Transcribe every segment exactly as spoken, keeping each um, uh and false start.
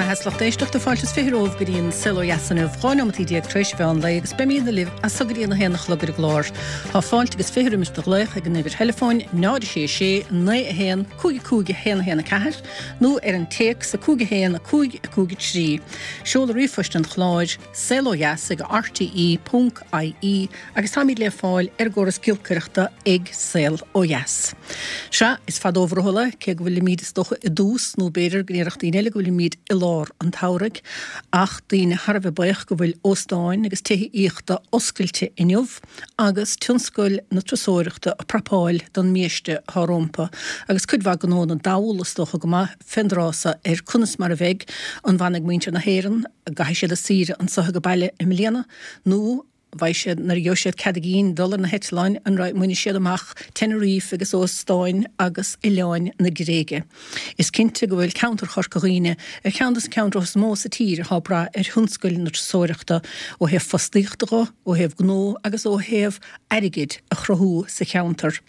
Ana-mheas lucht éisteachta fáilte is fiche romhaibh go dtí an Saol Ó Dheas inniu, dhá neomat déag tar éis mheán lae agus beimid libh as so go dtí an a haon a chlog ar an gclár. Tá fáilte agus fiche roimis do ghlaoch ag an uimhir theileafóin náid a sé sé naoi a haon cúig cúig a haon a haon a ceathair nó ar an téacs a cúig a haon a cúig a cúig a trí. Seoladh ríomhphoist an chláir saol ó dheas ag RTE ponc IE agus táimid le fáil ar an gcóras giolcaireachta ag Saol Ó Dheas. Sea, is fada ó bhrothall é, cé go bhfuilimid is dócha i dtús nó b'fhéidir go ndéarfadh daoine eile go bhfuilimid i lár an tsamhraidh, ach daoine thar a bheith buíoch go bhfuil óstáin agus tithe aíochta oscailte inniu agus tionscal na turasóireachta ag prapáil don mbiaiste atá rompu agus cuid mhaith gnónna dall is dócha go maith fén dtráth so ar conas mar a bheidh, an bhfanfaidh muintir na hÉireann, an gcaithfidh siad a saoire anso ag baile i mbliana nó beidh siad, nuair a gheobhaidh siad cead a gcinn dul ar na heitleáin, an mbainfidh siad amach Tenerife agus óstáin agus oileáin na Gréige. Is cinnte go bhfuil ceantar Chorca Dhuibhne ar cheann de na ceantracha is mó sa tír atá ag brath ar thionscal na turasóireachta ó thaobh fostaíochta dho, ó thaobh gnó agus ó thaobh airgid a chruthú sa cheantar.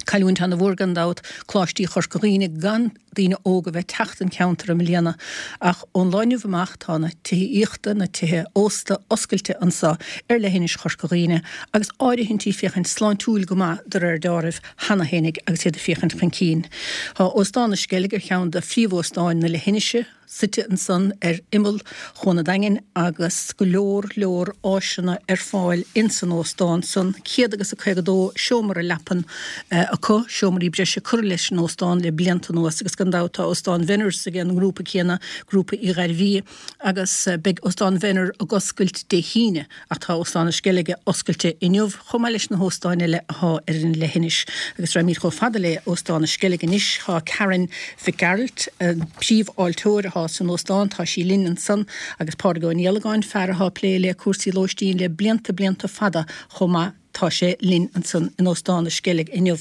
Cailliúint ana-mhór gan dabht Coláistí Chorca Dhuibhne gan daoine óga bheith teacht don cheantar i mbliana ach ón lá inniu amach tá na tithe aíochta, na tithe ósta oscailte anso ar leithinis Chorca Dhuibhne agus áirithintí féachaint sláintiúil go maith de réir deáraimh cheana fhéinig agus iad ag féachaint chun cinn. Tá Óstán na Sceilge ar cheann de phríomhóstáin na leithinise. suite ansan ar imeall Chuan an Daingin agus go leor leor áiseanna ar fáil ins an óstán san. Céad agus a caoga dó seomra leapan acu, seomraí breise curtha leis an óstán le blianta anuas agus gan dabht tá Óstán Bhenners ag an ngrúpa céanna, Grúpa Uí Ghairbhí, agus beidh Óstán Bhenner ag oscailt Dé hAoine. Ach tá Óstán na Sceilge oscailte inniu, chomh maith leis na hóstáin eile athá ar an leithinis. Agus raghaimid chomh fada le Óstán na Sceilge anois. Tá Karen Mhic Gearailt, an príomhfháilteoir athá san óstán, tá sí linn ansan, agus Pádraig Ó Niallagáin, fear athá ag plé le cúrsaí lóistín le blianta blianta fada chomh maith, tá sé linn ansan in Óstán na Sceilge inniu.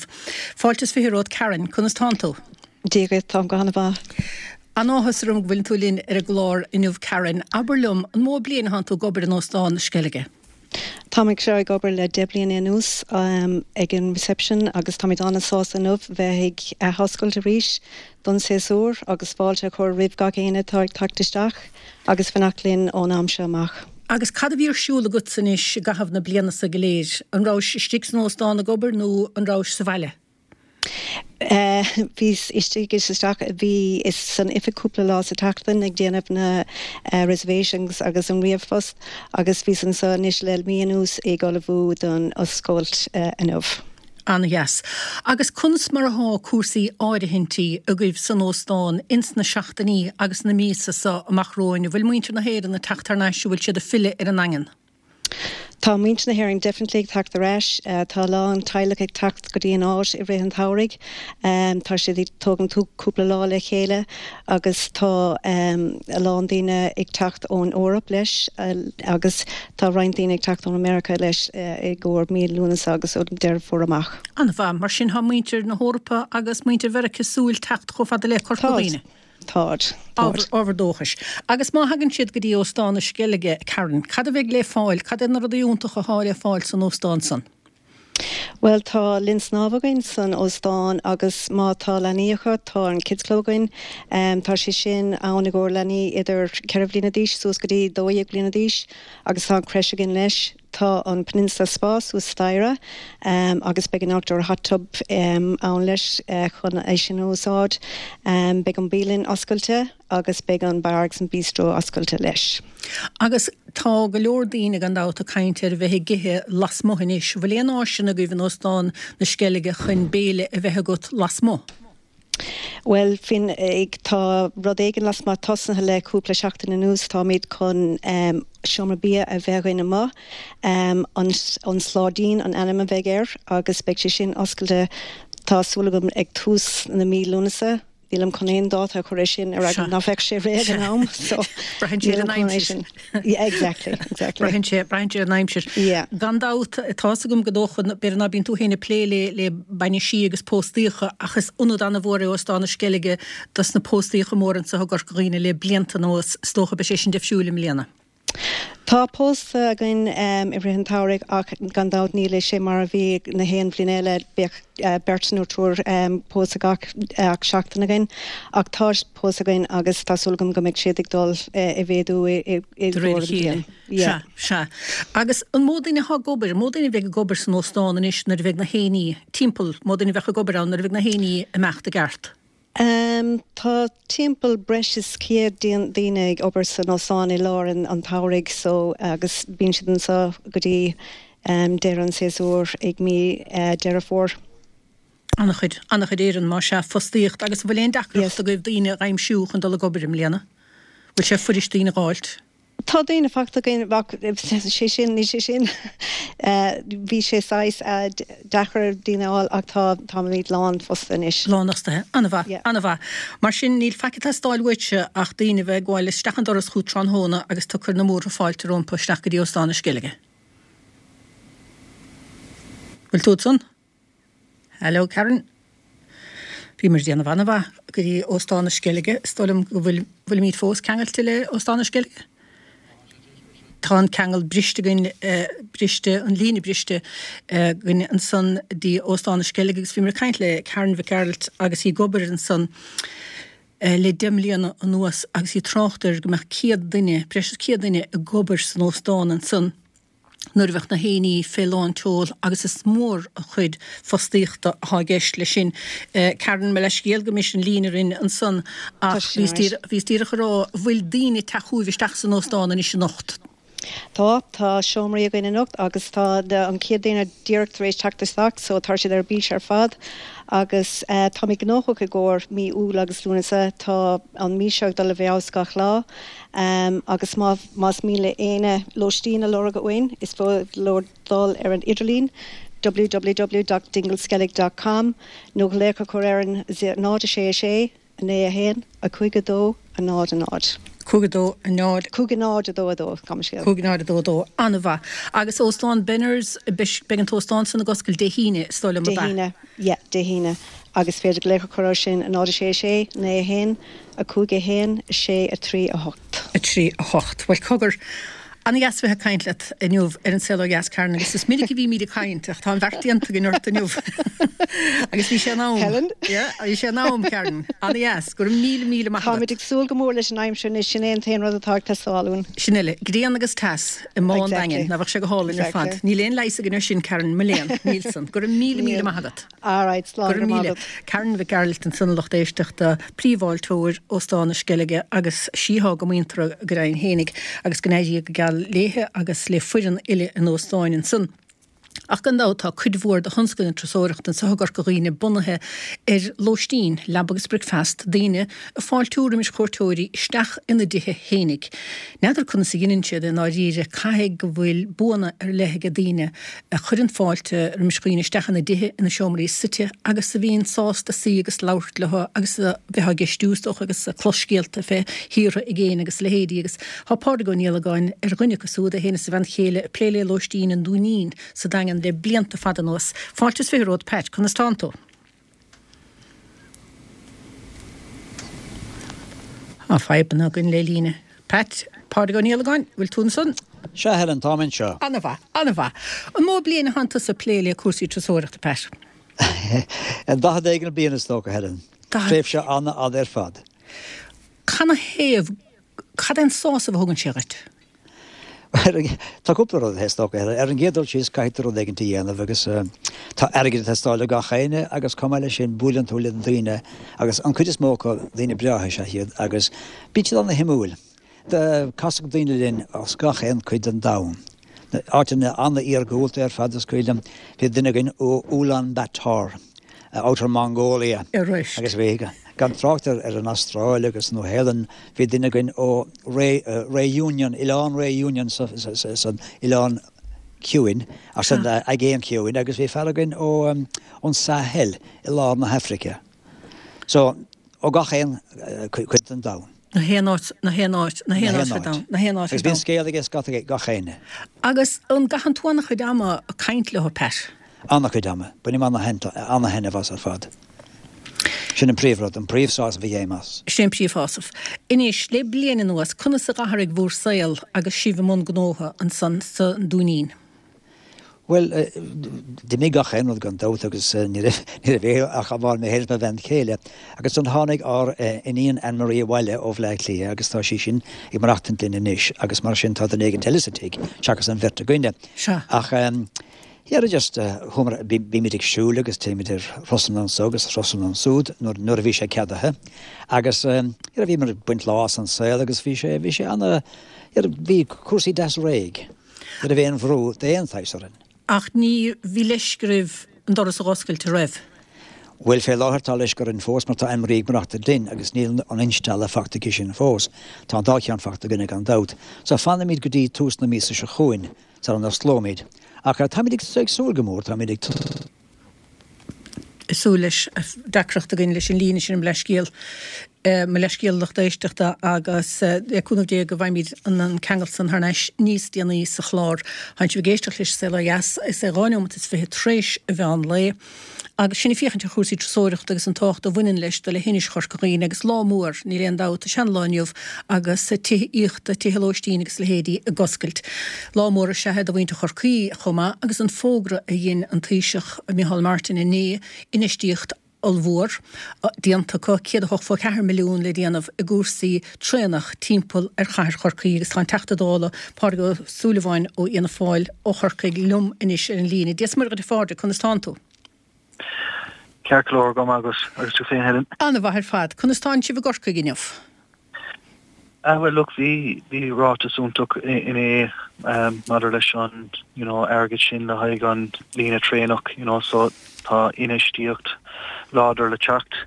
Fáilte is fiche romhat Karen, conas tánn tú? Dia dhuit, táim go han-mhaith. An-áthas orm go bhfuileann tú linn ar an gclár inniu Karen. Abair liom, an mó bliain atánn tú ag obair in Óstán na Sceilge? Táim ag seo ag obair le deich bliana anuas ag an reception agus táimid an-sásta inniu bheith ag athoscailt arís don séasúr agus fáilte a chur roimh gach éinne atá ag teacht isteach agus fanacht linn ón am seo amach. Agus cad a bhí ar siúl agatsa anois i gcaitheamh na bliana so go léir? An rabhais istigh san óstán ag obair nó an rabhais sa bhaile? Bhíos istigh is isteach, bhíos san oifig cúpla lá sa tseachtain ag déanamh na reservations agus an ríomhphost agus bhíos anseo anois le mí anuas ag ullmhú don oscailt inniu. An-dheas. Agus conas mar athá cúrsaí áirithintí agaibh san óstán ins na seachtainí agus na míosa so amach romhainn? An bhfuil muintir na hÉireann ag teacht thar n-ais, an bhfuil siad ag filleadh ar an nDaingean? Tá muintir na hÉireann definitely ag teacht ar ais. Tá a lán teaghlach ag teacht go dtí an áit i rith an tsamhraidh. Tá siad ag tógaint cúpla lá le chéile agus tá a lán daoine ag teacht ón Eoraip leis agus tá roinnt daoine ag teacht ón America leis i gcomhair mí Lúnasa agus ó Deireadh Fómhair amach. An-mhaith. Mar sin tá muintir na hEorpa agus muintir Mheiriceá ag súil teacht chomh fada le Corca Dhuibhne. Táid. Táid. Ábhar dóchais. Agus má thagann siad go dtí Óstán na Sceilge, Karen, cad a bheidh le fáil, cad é na rudaí iontacha athá le fáil san óstán san? Bhuel, tá linn snámha againn san óstán agus má tá leanaí acu, tá an Kids Club againn. Tá sé sin ann i gcomhair leanaí idir ceithre bhliana d'aois suas go dtí dó dhéag bliana d'aois agus tá an creche againn leis. Tá an Peninsula Spa suas staighre agus beidh an outdoor hot tub ann leis chun é sin a úsáid. Beidh an bialann oscailte agus beidh an bar agus an bistro oscailte leis. Agus tá go leor daoine gan dabht ag caint ar a bheith ag ithe lasmuigh anois. Bhfuil aon áiseanna agaibh in Óstán na Sceilge chun béile a bheith agat lasmuigh? Bhuel, fin, tá rud éigin lasmuigh tosnaithe le cúpla seachtain anuas. Táimid chun seomra bia a bheith againn amuigh. An an Sláidín an ainm a bheidh air agus beidh sé sin oscailte, tá súil agam, ag tús na mí Lúnasa. Nílim chun aon dáta a chur air sin ar eagla ná bheadh sé réidh ag an am so Braitheann sé ar nílim an chun é aimsir. sin. Yeah, exactly, exactly. Braitheann sé, braitheann sé ar an aimsir. Yeah. Gan dabht, tá's agam go dócha, b'fhéidir ná bíonn tú féin ag plé le, le bainisí agus póstaíocha ach is ionad an-mhór é Óstán na Sceilge dos na póstaíocha móra anseo i gCorca Dhuibhne le blianta anuas. Is dócha beidh sé sin difriúil i mbliana. Tá pósta againn um, i rith an tsamhraidh ach gan dabht níl sé mar a bhí na haon bhliain eile bheadh uh, beirt nó triúr um, pósta gach ach seachtain againn ach tá pósta againn agus tá súil agam go mbeidh siad ag dul uh, i mhéadú i, i, i De réir a chéile. Yeah. Sea, sea. Agus an mó daoine atá ag obair, mó daoine a bheidh ag obair san óstán anois nuair a bheidh na héinní timpeall, mó daoine a bheadh ag obair ann nuair a bheidh na héinní ag imeacht i gceart. Um, tá timpeall breis is céad daoine ag obair san óstán i lár an, an tsamhraidh so agus bíonn siad anseo go dtí um, deireadh an séasúr ag mí uh, Deireadh Fómhair. An-chuid, an-chuid éireann má sea fostaíocht agus bhfuil aon deacracht Yes. agaibh daoine a aimsiú chun dul ag obair i mbliana. Bhfuil sé fuirist daoine a fháilt? Tá daoine fachta againn sé sin ní sé sin Eh, bhí sé saghas eh, d- deacair daoine a fháil ach tá táimid lán fosta anois. Lánfhostaithe, an-mhaith, Yeah. an-mhaith. Mar sin níl faic ag teastáil uaitse ach daoine bheith ag gabháil isteach an doras chugat tráthnóna agus tú ag cur na múrtha fáilte rompu isteach go dtí Óstán na Sceilge. Bhfuil tú ansan? Hello Karen. Bhí mar déanamh an-mhaith go dtí Óstán na Sceilge, is dóigh liom go bhfuil bhfuilimid fós ceangailte le Óstán na Sceilge. Tá an ceangal briste againn eh, briste an líne briste eh, againn ansan dtí Óstán na Sceilge agus bhí mar caint le Karen Mhic Gearailt agus í ag obair ansan eh, le deich mbliana anuas agus í ag trácht ar go mbeadh céad duine, breis is céad duine ag obair san óstán ansan nuair a bheadh na héinní fé lán tseoil agus is mór a chuid fostaíochta atá i gceist leis sin. Eh, Karen me leis scéal go mis an líne rin ansan ach Tá sin bhí díreach ag rá bhfuil daoine ag teacht chugaibh isteach san óstán anois anocht. Tá tá seomraí againn anocht agus tá de, an chéad duine díreach tar éis teacht isteach, so tá siad ar bís ar fad. agus uh, tá mé gnóthach i gcomhair mí Iúil agus Lúnasa tá an mí seo dul i bhfeabhas gach lá. Um, agus má más mian le éinne lóistín a lorg uainn is féidir leo dul ar an idirlíon www.dingleskellig.com nó glaoch a chur ar an náid sé sé naoi a haon a cúig a dó a náid a náid. Cúig a dó a náid Cúig a náid a dó a dó gabh mo leithscéal. Cúig náid a dó dó an-mhaith. Agus óstán Benners beidh an t-óstán san ag oscailt Dé hAoine is dóigh liom Dé hAoine, yeah, Dé hAoine. Agus féidir glaoch a chur sin a náid sé sé naoi a haon a cúig a haon sé a trí a hocht. a trí a hocht. Well cogar an-dheas bheith ag caint leat inniu ar an Saol Ó Dheas Karen agus is minic a bhímid ag caint ach tá an bheart déanta againn ort inniu. Agus bhí sé in am. Helen? Yeah, bhí sé in am Karen. An-dheas, go raibh míle míle maith Táimid ag súil go mór leis an aimsir anois sin é an t-aon rud atá ag teastáil uainn. Sin eile, grian agus teas i mbá an Exactly. Daingin, ná bheadh sé go hálainn ar fad. Exactly. Níl aon leigheas againn air sin Karen mo léan, Nílson. Go raibh míle míle maith agat. All right, slán Gur go míle. maith. Karen Mhic Gearailt ansan lucht éisteachta príomhfháilteoir Óstán na Sceilge agus síthá go muinteartha go deimhin fhéinig agus go n-éirí go geal léithe agus le foireann uile an óstáin ansan. Ach gan dabht tá cuid mhór de thionscal na turasóireachta anseo i gCorca Dhuibhne bunaithe ar lóistín, leaba agus bricfeasta daoine ag fáiltiú roimis chuairteoirí isteach ina dtithe fhéinig. N'fheadar conas a dhéanann siad i ndáiríre caithfidh go bhfuil buanna ar leith ag daoine a chuireann fáilte roimis dhaoine isteach ina dtithe ina seomraí suite agus a bhíonn sásta suí agus labhairt leo agus a bheith á gceistiú is dócha agus clos scéalta fé thíortha i gcéin agus leithéidí agus tá Pádraig Ó Niallagáin ar dhuine acu siúd é féin is a bhean chéile ag plé le lóistín an Dúinín sa Daingean le blianta fada anuas. Fáilte is fiche romhat Pat, conas tánn tú? Tá fadhbanna againn le líne. Pat, Pádraig Ó Niallagáin, bhfuil tú ansan? Sea Helen táim anseo. An-mhaith, an-mhaith. An mó bliain atánn tusa ag plé le cúrsaí turasóireachta Pat. An daichead éigin bliain is dócha Helen. Tréimhse an-fhada ar fad. Canathaobh cad é an sásamh a thugann sé dhuit? Tá cúpla rud is dócha Helen. Ar an gcéad dul síos caithfidh tú rud éigin a dhéanamh agus tá airgead ag teastáil ó gach éinne agus chomh maith leis sin buaileann tú le daoine agus an chuid is mó acu daoine breátha is ea iad agus bíonn siad an-shuimiúil. Casadh daoine linn as gach aon chuid den domhan. Áiteanna an-iargúlta ar fad is cuimhin liom bhí duine againn ó Ulaanbaatar, Outer Mongolia. Agus bhí gan trácht ar an Astráil agus Nua-Shéalainn, bhí duine againn ó Réunion, Oileán Réunion san Oileán Ciúin, san Aigéan Ciúin, agus bhí fear againn ó ón Sahel i lár na hAfraice. So, ó gach aon chuid den domhan. Na haon áit, na haon áit, na haon áit ar domhan, na haon áit ar Agus bíonn domhan. scéal aige scata gach éinne. Agus an gcaitheann tú an-chuid ama ag caint leo Pat? An-chuid ama, bainim an-thaitneamh as ar fad. Sin an príomhrud, an príomhshásamh a fhaighim as. Sin an príomhshásamh. Anois, le bliain anuas, conas a d'athraigh bhur saol agus sibh i mbun gnótha ansan sa Dúinín? Bhuel, d'imigh gach aon rud gan dabht agus ní raibh ach amháin mé féin is mo bhean chéile. Agus ansan tháinig ár iníon Anne Marie abhaile ó Bhleá Cliath agus tá sí sin ag maireachtaint linn anois agus mar sin tá duine éigin eile sa tigh seachas an bheirt againne. Ach yeah, just chuamar bímid ag siúl agus téimid ar thurasanna anso agus thurasanna ansúd nuair a bhí sé ceadaithe. Agus bhíomar ag baint lá as an saol agus bhí sé bhí sé ana bhí cúrsaí deas réidh. Ní raibh aon bhrú d'aon tsaghas orainn. Ach ní bhí leisce oraibh an doras a dh'oscailt, an raibh? Bhuel fé láthair tá leisce orainn fós mar tá Anne Marie ag maireachtaint linn agus níl an instealladh fachta aici sin fós. Tá an dá cheann fachta againne gan dabht. So fanfaimid go dtí tús na míosa seo chugainn sara n-osclóimid. Ach táimid ag súil go mór, táimid ag. súil leis, deacracht againn leis an líne sin, mo leithscéal, mo leithscéal lucht éisteachta agus le cúnamh Dé go bhfaighimid an ceangal san thar n-ais níos déanaí sa chlár. Tánn sibh ag éisteacht leis Saol Ó Dheas, is é dhá neomat is fiche tar éis an mheán lae agus sinn ag féachaint ar chúrsaí turasóireachta agus an tábhacht a bhaineann leis do leithinis Chorca Dhuibhne agus lá mór, níl aon dabht, is ea an lá inniu agus tithe aíochta, tithe lóistín agus leithéidí ag oscailt. Lá mór is ea é do mhuintir Chorcaí chomh maith agus an fógra a dhein an Taoiseach Micheál Martin inné, infheistíocht ollmhór déanta acu, céad a hochtó ceathair milliún le déanamh i gcúrsaí traenach timpeall ar chathair Chorcaí agus tá an Teachta Dála Pádraig Ó Súilleabháin ó Fhianna Fáil ó Chorcaigh liom anois ar an líne. Dia is Muire dhuit a Phádraig, conas tánn tú? Ceart go leor, go maith agat agus tú féin Helen? An-mhaith ar fad. Conas tánn sibh i gCorcaigh inniu? Ah well look bhí bhí ráiteas iontach inné maidir leis an you know airgead sin le haghaidh an líne traenach you know so tá infheistíocht láidir le teacht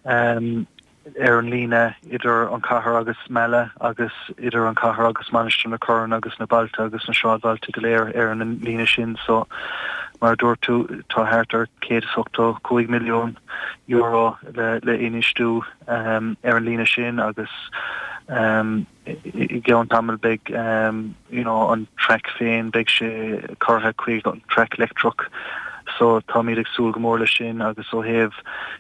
um ar an líne idir an chathair agus Mala agus idir an chathair agus Mainistir na Corann agus na bailte agus na sráidbhailte go léir ar an líne sin so mar a dúirt tú tá thart ar céad is ochtó cúig milliún euro le le infheistiú um ar an líne sin agus um i gceann tamaill beidh um you know an traic féin beidh sé curtha chuig an traic leictreach so táimid ag súil go mór leis sin agus ó thaobh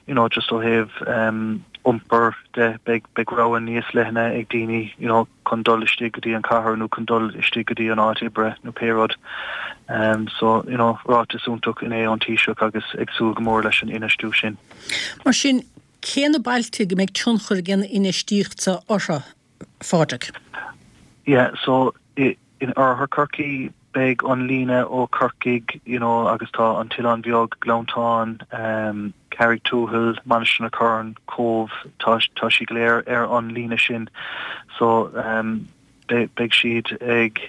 you know just ó thaobh um iompar de beidh beidh rogha níos leithne ag daoine you know chun dul istigh go dtí an cathair nó chun dul istigh go dtí an áit oibre nó pé rud um so you know ráiteas iontach inné ón Taoiseach agus ag súil go mór leis an infheistiú sin. Mar sin Cé na bailte go mbeidh tionchar ag an infheistíocht seo orthu, a Phádraig? Yeah, so in oirthear Chorcaí beidh an líne ó Chorcaigh, you know, agus tá an tOileán Beag, Gleanntán, um, Carraig Tuathail, Mainistir na Corann, Cóbh, tá tá siad go léir ar an líne sin. So um, beidh siad ag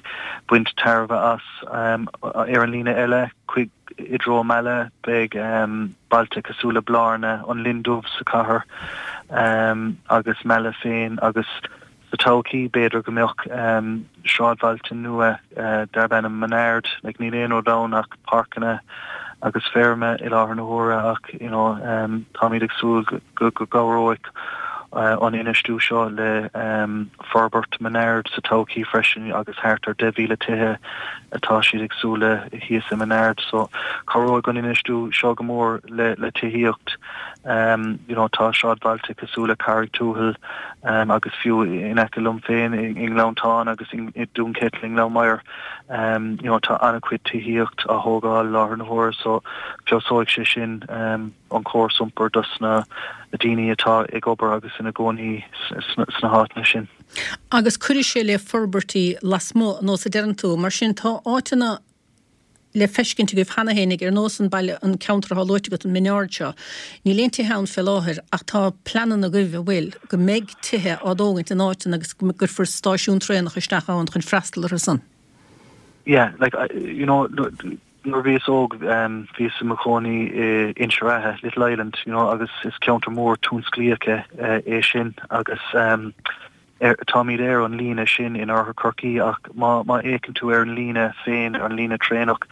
baint tairbhe as. Ar an líne eile, chuig i dtreo Mala, beidh bailte cosúil le Blarna, an Linn Dubh sa chathair agus Mala féin agus sa todhchaí b'fhéidir go mbeadh sráidbhailte nua darb ainm Minard. Like níl aon rud ann ach páirceanna agus feirme i láthair na huaire ach you know táimid ag súil go gcabhróidh an infheistiú seo le forbairt Minard sa todhchaí freisin agus thart ar deich mhíle tithe atá siad ag súil le thíos i Minard. So cabhróidh an infheistiú seo go mór le le tithíocht. You know tá sráidbhailte cosúil le Carraig Tuathail agus fiú in aice liom féin i nGleanntán agus i Dún Ceitil i nGleann Maghair you know tá an-chuid tithíocht á thógáil i láthair na huaire so feabhsóidh sé sin an córas iompair dos na daoine atá ag obair agus ina gcónaí sna háiteanna sin. Agus cuirfidh sé le forbairtí lasmuigh, nós a deireann tú. Mar sin, tá áiteanna le feiscint agaibh cheana fhéinig, ar nós an baile, an ceantar atá luaite agat, an Minard seo. Níl aon tithe ann fé láthair ach tá pleananna agaibh, an bhfuil, go mbeidh tithe á dtógaint in áiteanna agus go gcuirfear stáisiún traenach isteach ann chun freastal orthu san. Yeah, like, you know, nuair a bhíos óg, bhíos i mo chónaí i Inse Ráithe, Little Island, you know, agus is ceantar mór tionsclaíoch é sin agus táimid ar an líne sin in oirthear Chorcaí ach má má fhéachann tú ar an líne féin, an líne traenach,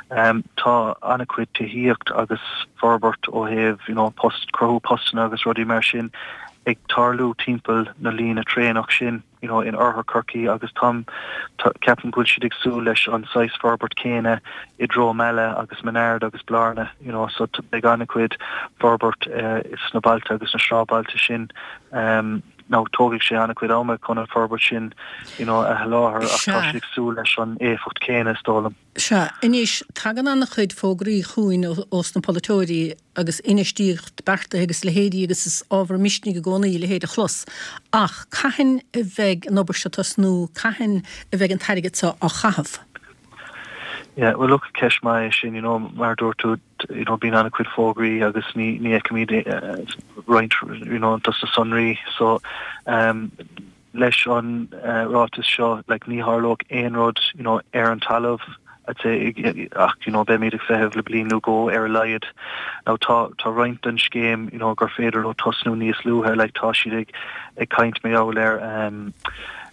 tá an-chuid tithíocht agus forbairt ó thaobh, you know, post, cruthú postanna agus rudaí mar sin ag tarlú timpeall na líne traenach sin you know, in oirthear Chorcaí agus táim ceapaim go bhfuil siad ag súil leis an saghas forbairt céanna i dtreo Meala agus Minard agus Blarna you know, so beidh an-chuid forbairt uh, sna bailte agus na sráidbhailte sin um, Now tógfaidh sé an-chuid ama chun an forbairt sin you know, a sholáthar ach tá siad ag súil leis an éifeacht céanna is dóigh liom. Sea, anois tagann an-chuid fógraí chugainn ós na polaiteoirí agus infheistíocht beartaithe agus leithéidí agus is ábhar misnigh i gcónaí a leithéid a chlos. Ach cathain a bheidh an obair seo ag tosnú, cathain a bheidh an t-airgead seo á chaitheamh? Yeah, well look ceist mhaith é sin you know, mar dúirt tú you know, bíonn an-chuid fógraí agus ní ní fheicimid uh, roinnt you know, dos na sonraí so um, leis an uh, ráiteas seo like, ní tharlóidh aon rud you know, ar an talamh I'd say ach you know beimid ag feitheamh le bliain nó dhó ar a laghad now tá tá roinnt den scéim you know gur féidir leo tosnú níos luaithe like tá siad ag ag caint mar gheall ar um,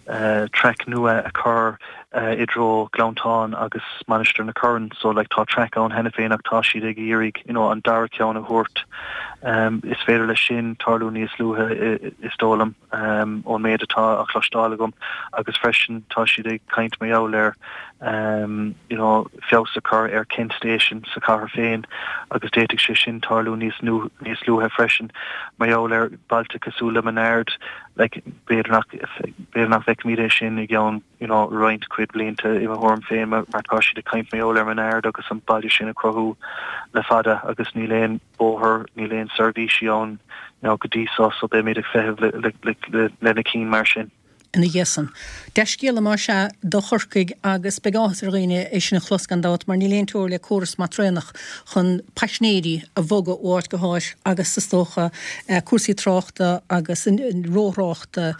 uh, traic nua a chur uh, i dtreo Gleanntáin agus Mainistir na Corann so like tá traic ann cheana féin ach tá siad ag iarraidh you know an dara ceann a thabhairt um, is féidir leis sin tarlú níos luaithe is dóigh liom um, ón méid atá á chloisteáil agam agus freisin tá siad ag caint mar gheall ar um, you know feabhas a chur ar Kent Station sa chathair féin agus d'fhéadfadh sé sin tarlú níos nu níos luaithe freisin mar gheall ar bailte cosúil le Minard like b'fhéidir nach b'fhéidir nach bhfeicfimid é sin i gceann you know roinnt cuid blianta i mo thuairim féin mar tá siad ag caint mar gheall ar Minard agus an baile sin a chruthú le fada agus níl aon bóthar níl aon seirbhísí ann you know, go dtí so so beimid ag feitheamh le, le, le, le, lena cinn mar sin. ina dhiaidh san. Dea-scéala más ea do Chorcaigh agus beidh áthas ar dhaoine é sin a chlos gan dabht mar níl aon teora le córas maith traenach chun paisinéirí a bhogadh ó áit go háit agus is dócha cúrsaí tráchta agus róthráchta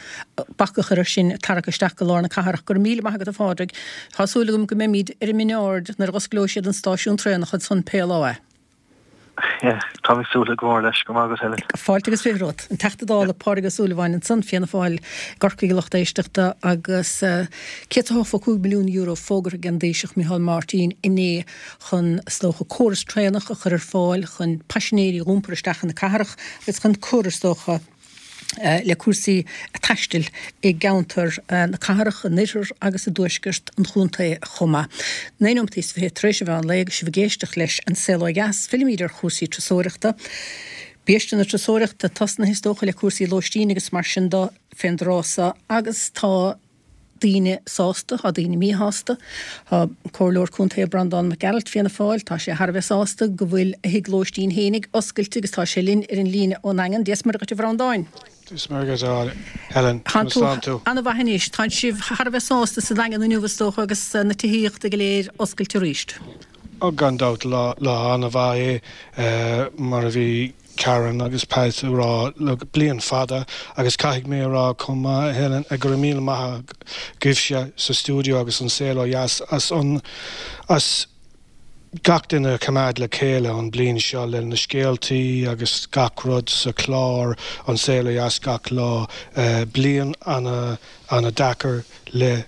bac a chur air sin tarrac isteach go lár na cathrach. Go raibh míle maith agat a Phádraig. Tá súil agam go mbeimid ar an Minard nuair a osclóidh siad an stáisiún traenach ansan pé lá é. Tá mé ag súil go mór leis go maith agat Helen. Fáilte agus fiche romhat. An Teachta Dála Pádraig Ó Súilleabháin ansan Fianna Fáil i gCorcaigh a lucht éisteachta agus céad is ochtó cúig milliún euro fógartha ag an dTaoiseach Micheál Martin inné chun is dócha córas traenach a chur ar fáil chun paisinéirí a iompar isteach chun na cathrach agus chun cur is dócha le cúrsaí taistil i gceantar na cathrach, an oirthear agus i dtuaisceart an chontae chomh maith. Naoi nóiméad is fiche tar éis an mheán lae agus sibh ag éisteacht leis An Saol Ó Dheas, fillimid ar chúrsaí turasóireachta. Biaiste na turasóireachta tosnaithe is dócha le cúrsaí lóistín agus mar sin de fén dtráth so agus tá daoine sásta, tá daoine míshásta. Tá Comhairleoir Contae Breandán Mac Gearailt, Fianna Fáil, tá sé thar a bheith sásta go bhfuil a thigh lóistín fhéinig oscailte agus tá sé linn ar an líne ón nDaingean. Dia is Muire dhuit a Bhreandáin. Dia is Muire dhuit Helen. Tá tú an-mhaith anois. Tá sibh thar a bheith sásta sa Daingean inniu is dócha agus na tithíochta go léir oscailte arís. Ó gan dabht lá lá an-mhaith é mar a bhí Karen agus Pat ag rá le bliain fada agus caithfidh mé a rá chomh maith Helen go raibh míle maith agaibhse sa stiúideo agus An Saol Ó Dheas as an as gach duine a choimeád le chéile an bliain seo le na scéaltaí agus gach rud sa chlár An Saol Ó Dheas gach lá. Bliain ana ana deacair le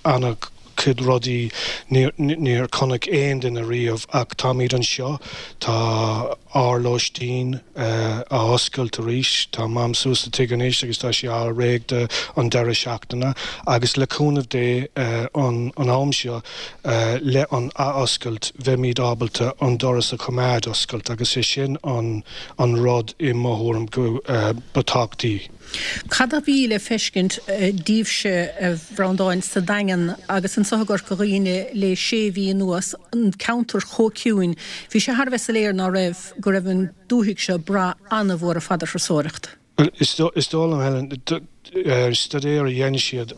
ana chuid rudaí níor chonaic aon duine riamh ach táimid anseo, tá ár lóistín á oscailt arís, tá Mam suas sa tigh anois agus tá sí á réidh do an deireadh seachtaine agus le cúnamh Dé an am seo le an athoscailt bheimid ábalta an doras a choimeád oscailt agus é sin an an rud i mo thuairim go ba tábhachtaí. Cad a bhí le feiscint daoibhse, a Bhreandáin, sa Daingean agus anso i gCorca Dhuibhne le sé mhí anuas, an ceantar chomh ciúin? Bhí sé thar a bheith soiléir ná raibh, go raibh an dúthaigh seo ag brath an-mhór ar fad ar thurasóireacht. Bhuel, is dóigh liom, Helen, staidéar a dhein siad,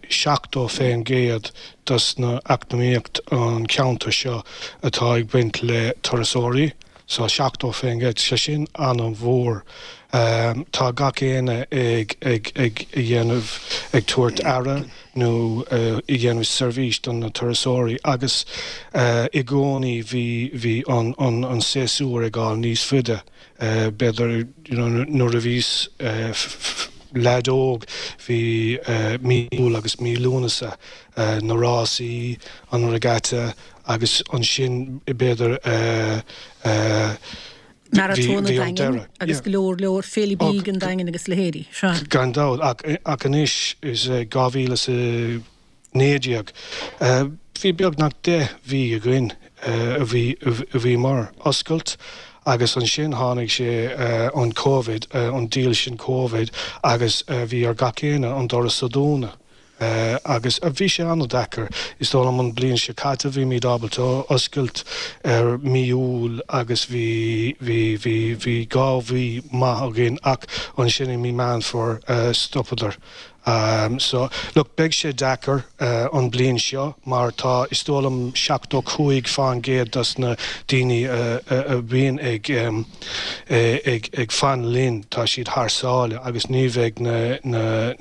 seachtó fén gcéad dos na eacnamaíocht an cheantar seo atá ag baint le turasóirí. So seachtó fén gcéad, sé sin an-mhór. Tá gach éinne ag ag ag dhéanamh, ag tabhairt aire nó ag dhéanamh seirbhís do na turasóirí agus i gcónaí bhí bhí an an an séasúr ag dul níos faide. B'fhéidir you know nuair a bhíos leaid óg bhí mí Iúil agus mí Lúnasa, na rásaí, an regatta, Agus ansin b'fhéidir Maratón an Daingin agus go leor leor Féile Bídh an Daingin agus leithéidí. Sea. Gan dabht, ach ach anois is dhá mhíle is a naoi déag. Bhí beagnach deich mhí againn a bhí a bhí mar oscailt agus ansin tháinig sé an Covid, an diabhal sin Covid agus bhí ar gach éinne an doras a dhúnadh. Agus bhí sé an-deacair. Is dóigh liom an bliain seo caite bhí muid ábalta oscailt ar mí Iúil agus bhí bhí bhí bhí dhá mhí maith againn ach ansin i mí Meán Fómhair stopadar. So, look, beidh sé deacair an bliain seo mar tá, is dóigh liom, seachtó cúig fán gcéad dos na daoine a bhíonn ag ag ag fan linn, tá siad thar sáile agus ní bheidh na na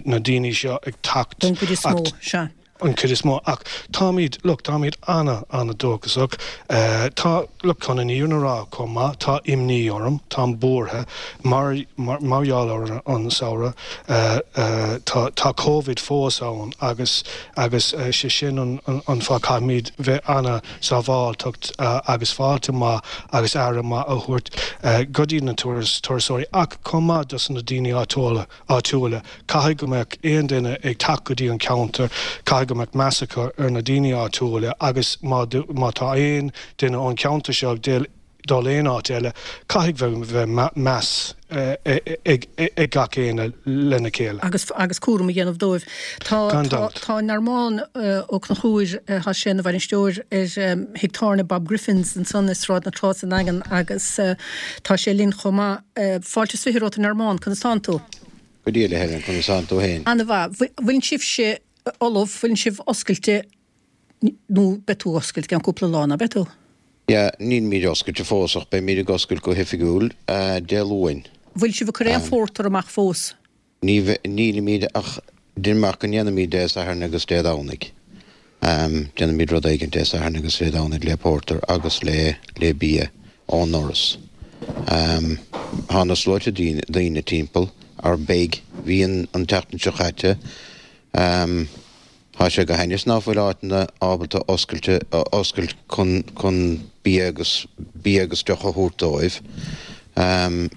na daoine seo ag teacht. Don chuid is mó, sea. An chuid is mó. Ach táimid, look, táimid ana, ana-dóchasach. Tá, look, chun an fhírinne a rá chomh maith, tá imní orm, táim buartha mar, mar, mar gheall ar an samhradh. Tá, tá Covid fós ann agus, agus sé sin an, an, an fáth caithfimid bheith ana-sábháilteacht agus fáilte maith agus aire maith a thabhairt go dtí na turas, turasóirí ach chomh maith dos na daoine áitiúla, áitiúla. Caithfidh go mbeadh aon duine ag teacht go dtí an ceantar, caithfidh go mbeadh meas acu ar na daoine áitiúla agus má má tá aon duine ón cheantar seo ag dul aon áit eile, caithfidh bheith meas ag ag gach éinne lena chéile. Agus agus cúram a dhéanamh dóibh. Tá Gan tá dabht. tá Normán Ó Conchúir, tá sé ina bhainisteoir ar Thigh Tábhairne Bob Griffin's ansan i Sráid na Trá sa nDaingean agus tá sé linn chomh maith. Fáilte is fiche romhat a Normán, conas tánn tú? Go diail a Helen, conas tánn tú féin? Ana-mhaith. Bhfuil sibhse ullamh, bhfuil sibh oscailte nó beidh tú oscailte i gceann cúpla lá, ná beidh tú? Yeah, nílimid oscailte fós ach beimid ag oscailt go hoifigiúil Dé Luain. Bhfuil sibh ag cur aon phórtar amach fós? Ní nílimid ach déanaim amach go ndéanfaimid Dé Sathairn agus Dé Domhnaigh. Déanfaimid rud éigin Dé Sathairn agus Dé Domhnaigh le pórtar agus le le bia ón ndoras. Tá na sluaite daoine timpeall ar beidh bhí an an tseachtain seo caite. Tá sé go hainnis ná fuil áiteanna ábalta oscailte oscailt chun chun bia agus bia agus deoch a thabhairt dóibh. An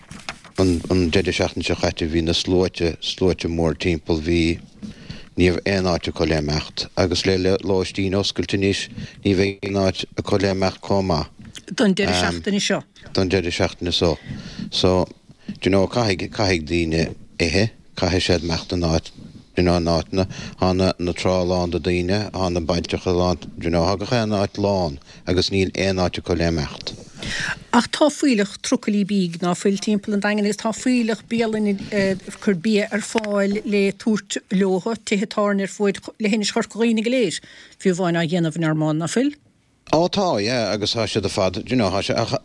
an deireadh seachtaine seo caite bhí na sluaite sluaite mór timpeall bhí ní raibh aon áit acu le imeacht agus le lóistín oscailte anois ní bheidh aon áit acu le imeacht chomh maith. Don deireadh seachtaine seo. Don deireadh seachtaine seo. So, do you know, caithfidh caithfidh daoine ithe, caithfidh siad imeacht in áit you know, in áiteanna, tá na na trá lán de daoine, tá na bailteacha lán, do you know, tá gach aon áit lán agus níl aon áit acu le imeacht. Ach tá fuílleach trucailí bídh ná fuil timpeall an Daingin agus tá fuílleach bialanna ag cur bia ar fáil le tabhairt leo, tithe tábhairne ar fuaid leithinis Chorca Dhuibhne go léir, fiú amháin á dhéanamh a Normán, ná fuil? Ó tá, yeah, agus tá siad ar fad, do you know, tá sé, ach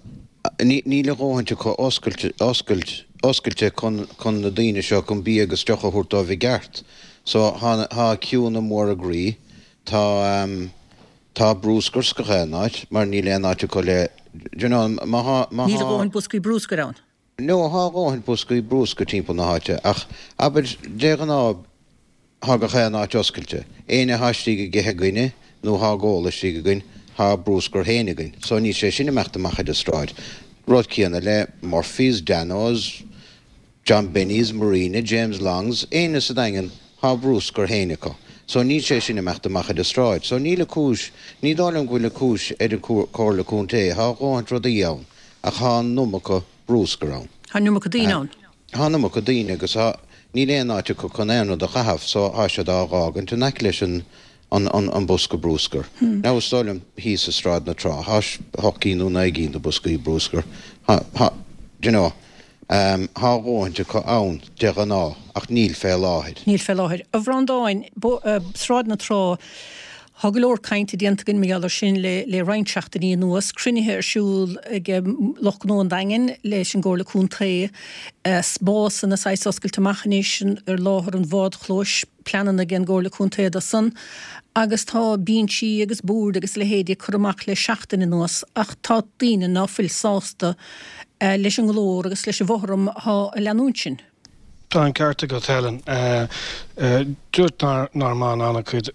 ní níl a dhóthaint acu oscailt, oscailt, oscailte chun, chun na daoine seo chun bia agus deoch a thabhairt dóibh i gceart. So tá, tá ciúnna móra groí, tá, um, tá bruscar sa gach aon áit mar níl aon áit acu le, do you know, má thá, má Níl a thá. dhóthain boscaí bruscair ann. No, thá a dhóthain boscaí bruscair timpeall na háite ach abair de ghnáth thá gach aon áit oscailte. Éinne athá istigh ag ithe againne nó thá ag ól istigh againn, thá a bruscar féin againn. So níl sé sin imeacht amach ar an sráid. Rud céanna le Murphy's, Dano's, John Benny's, Marina, James Long's, éinne sa Daingean, thá a bruscar féin acu. So níl sé sin imeacht amach ar an sráid. So níl a cúis, ní dóigh liom go bhfuil a cúis ar an Comhairle Contae, thá a dhóthaint rudaí ann, ach thá an iomarca bruscar ann. Thá an iomarca daoine ann. Thá an iomarca daoine agus thá, níl aon áit acu chun aon rud a chaitheamh so thá siad á dh'fhágaint in aice leis an, an, an, an bosca bruscair. Now is dóigh liom thíos i Sráid na Trá, thá hocht gcinn nó naoi gcinn de boscaí bruscair. Thá, thá, do you know, thá a dhóthaint acu ann de ghnáth ach níl fé láthair. Níl fé láthair. A Bhreandáin, Sráid na Trá, Tá go leor cainte déanta againn mar gheall air sin le le roinnt seachtainí anuas. Cruinnithe ar siúl ag lucht gnó an Daingin leis an gComhairle Contae. Spásanna saghas oscailte amach anois ar láthair an bhádchlóis, pleananna ag an gComhairle Contae do san. Agus tá binsí agus boird agus leithéidí curtha amach le seachtain anuas ach tá daoine ná fuil sásta leis an nglór agus leis an bhfothram athá ag leanúint sin. Tá an ceart agat Helen. Dúirt Normán an-chuid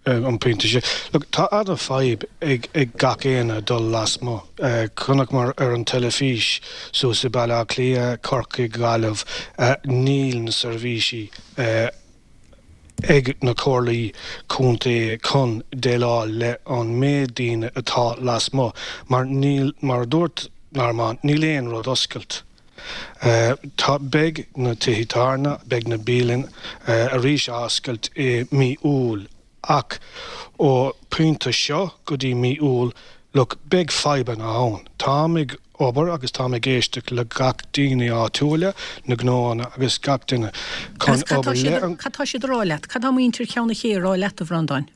an pointe sin. Look, tá an-fhadhb ag ag gach éinne dul lasmuigh. Chonaiceamar ar an teilifís suas i Baile Átha Cliath, Corcaigh, Gaillimh, níl na seirbhísí ag na comhairlí contae chun déileáil le an méid daoine atá lasmuigh mar níl, mar a dúirt Norman, níl aon rud oscailt. Tá, beidh na tithe tábhairne, beidh na bialanna arís á oscailt i mí Iúil ach ó pointe seo go dtí mí Iúil, look, beidh fadhbanna ann. Táim ag obair agus táim ag éisteacht le gach daoine áitiúla, na gnóanna agus gach duine chun obair le an. Cad tá siad a rá leat? Cad tá muintir Cheann na Cé a rá leat, a Bhreandáin?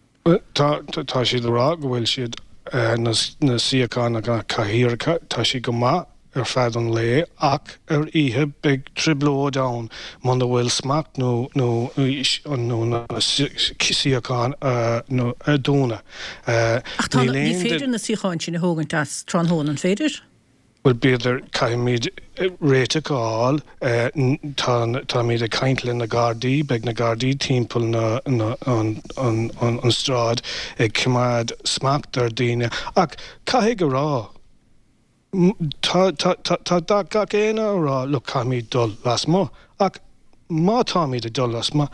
Tá, tá siad a rá go bhfuil siad, na suíocháin agus na cathaoireacha, tá siad go maith ar feadh an lae ach ar oíche beidh trioblóid ann muna bhfuil smacht nó nó nó na suíocháin a dúnadh. Ach tá, ní féidir na suíocháin sin a thógaint as tráthnóna, an féidir? Bhuel, b'fhéidir, caithfimid réiteach a fháil. Tá, táimid ag caint le na Gardaí, beidh na Gardaí timpeall na, na, an, an, an, an stráid ag coimeád smacht ar daoine ach caithfidh a rá, tá, tá, tá, tá gach éinne a rá, look, caithfimid dul lasmuigh ach má táimid ag dul lasmuigh,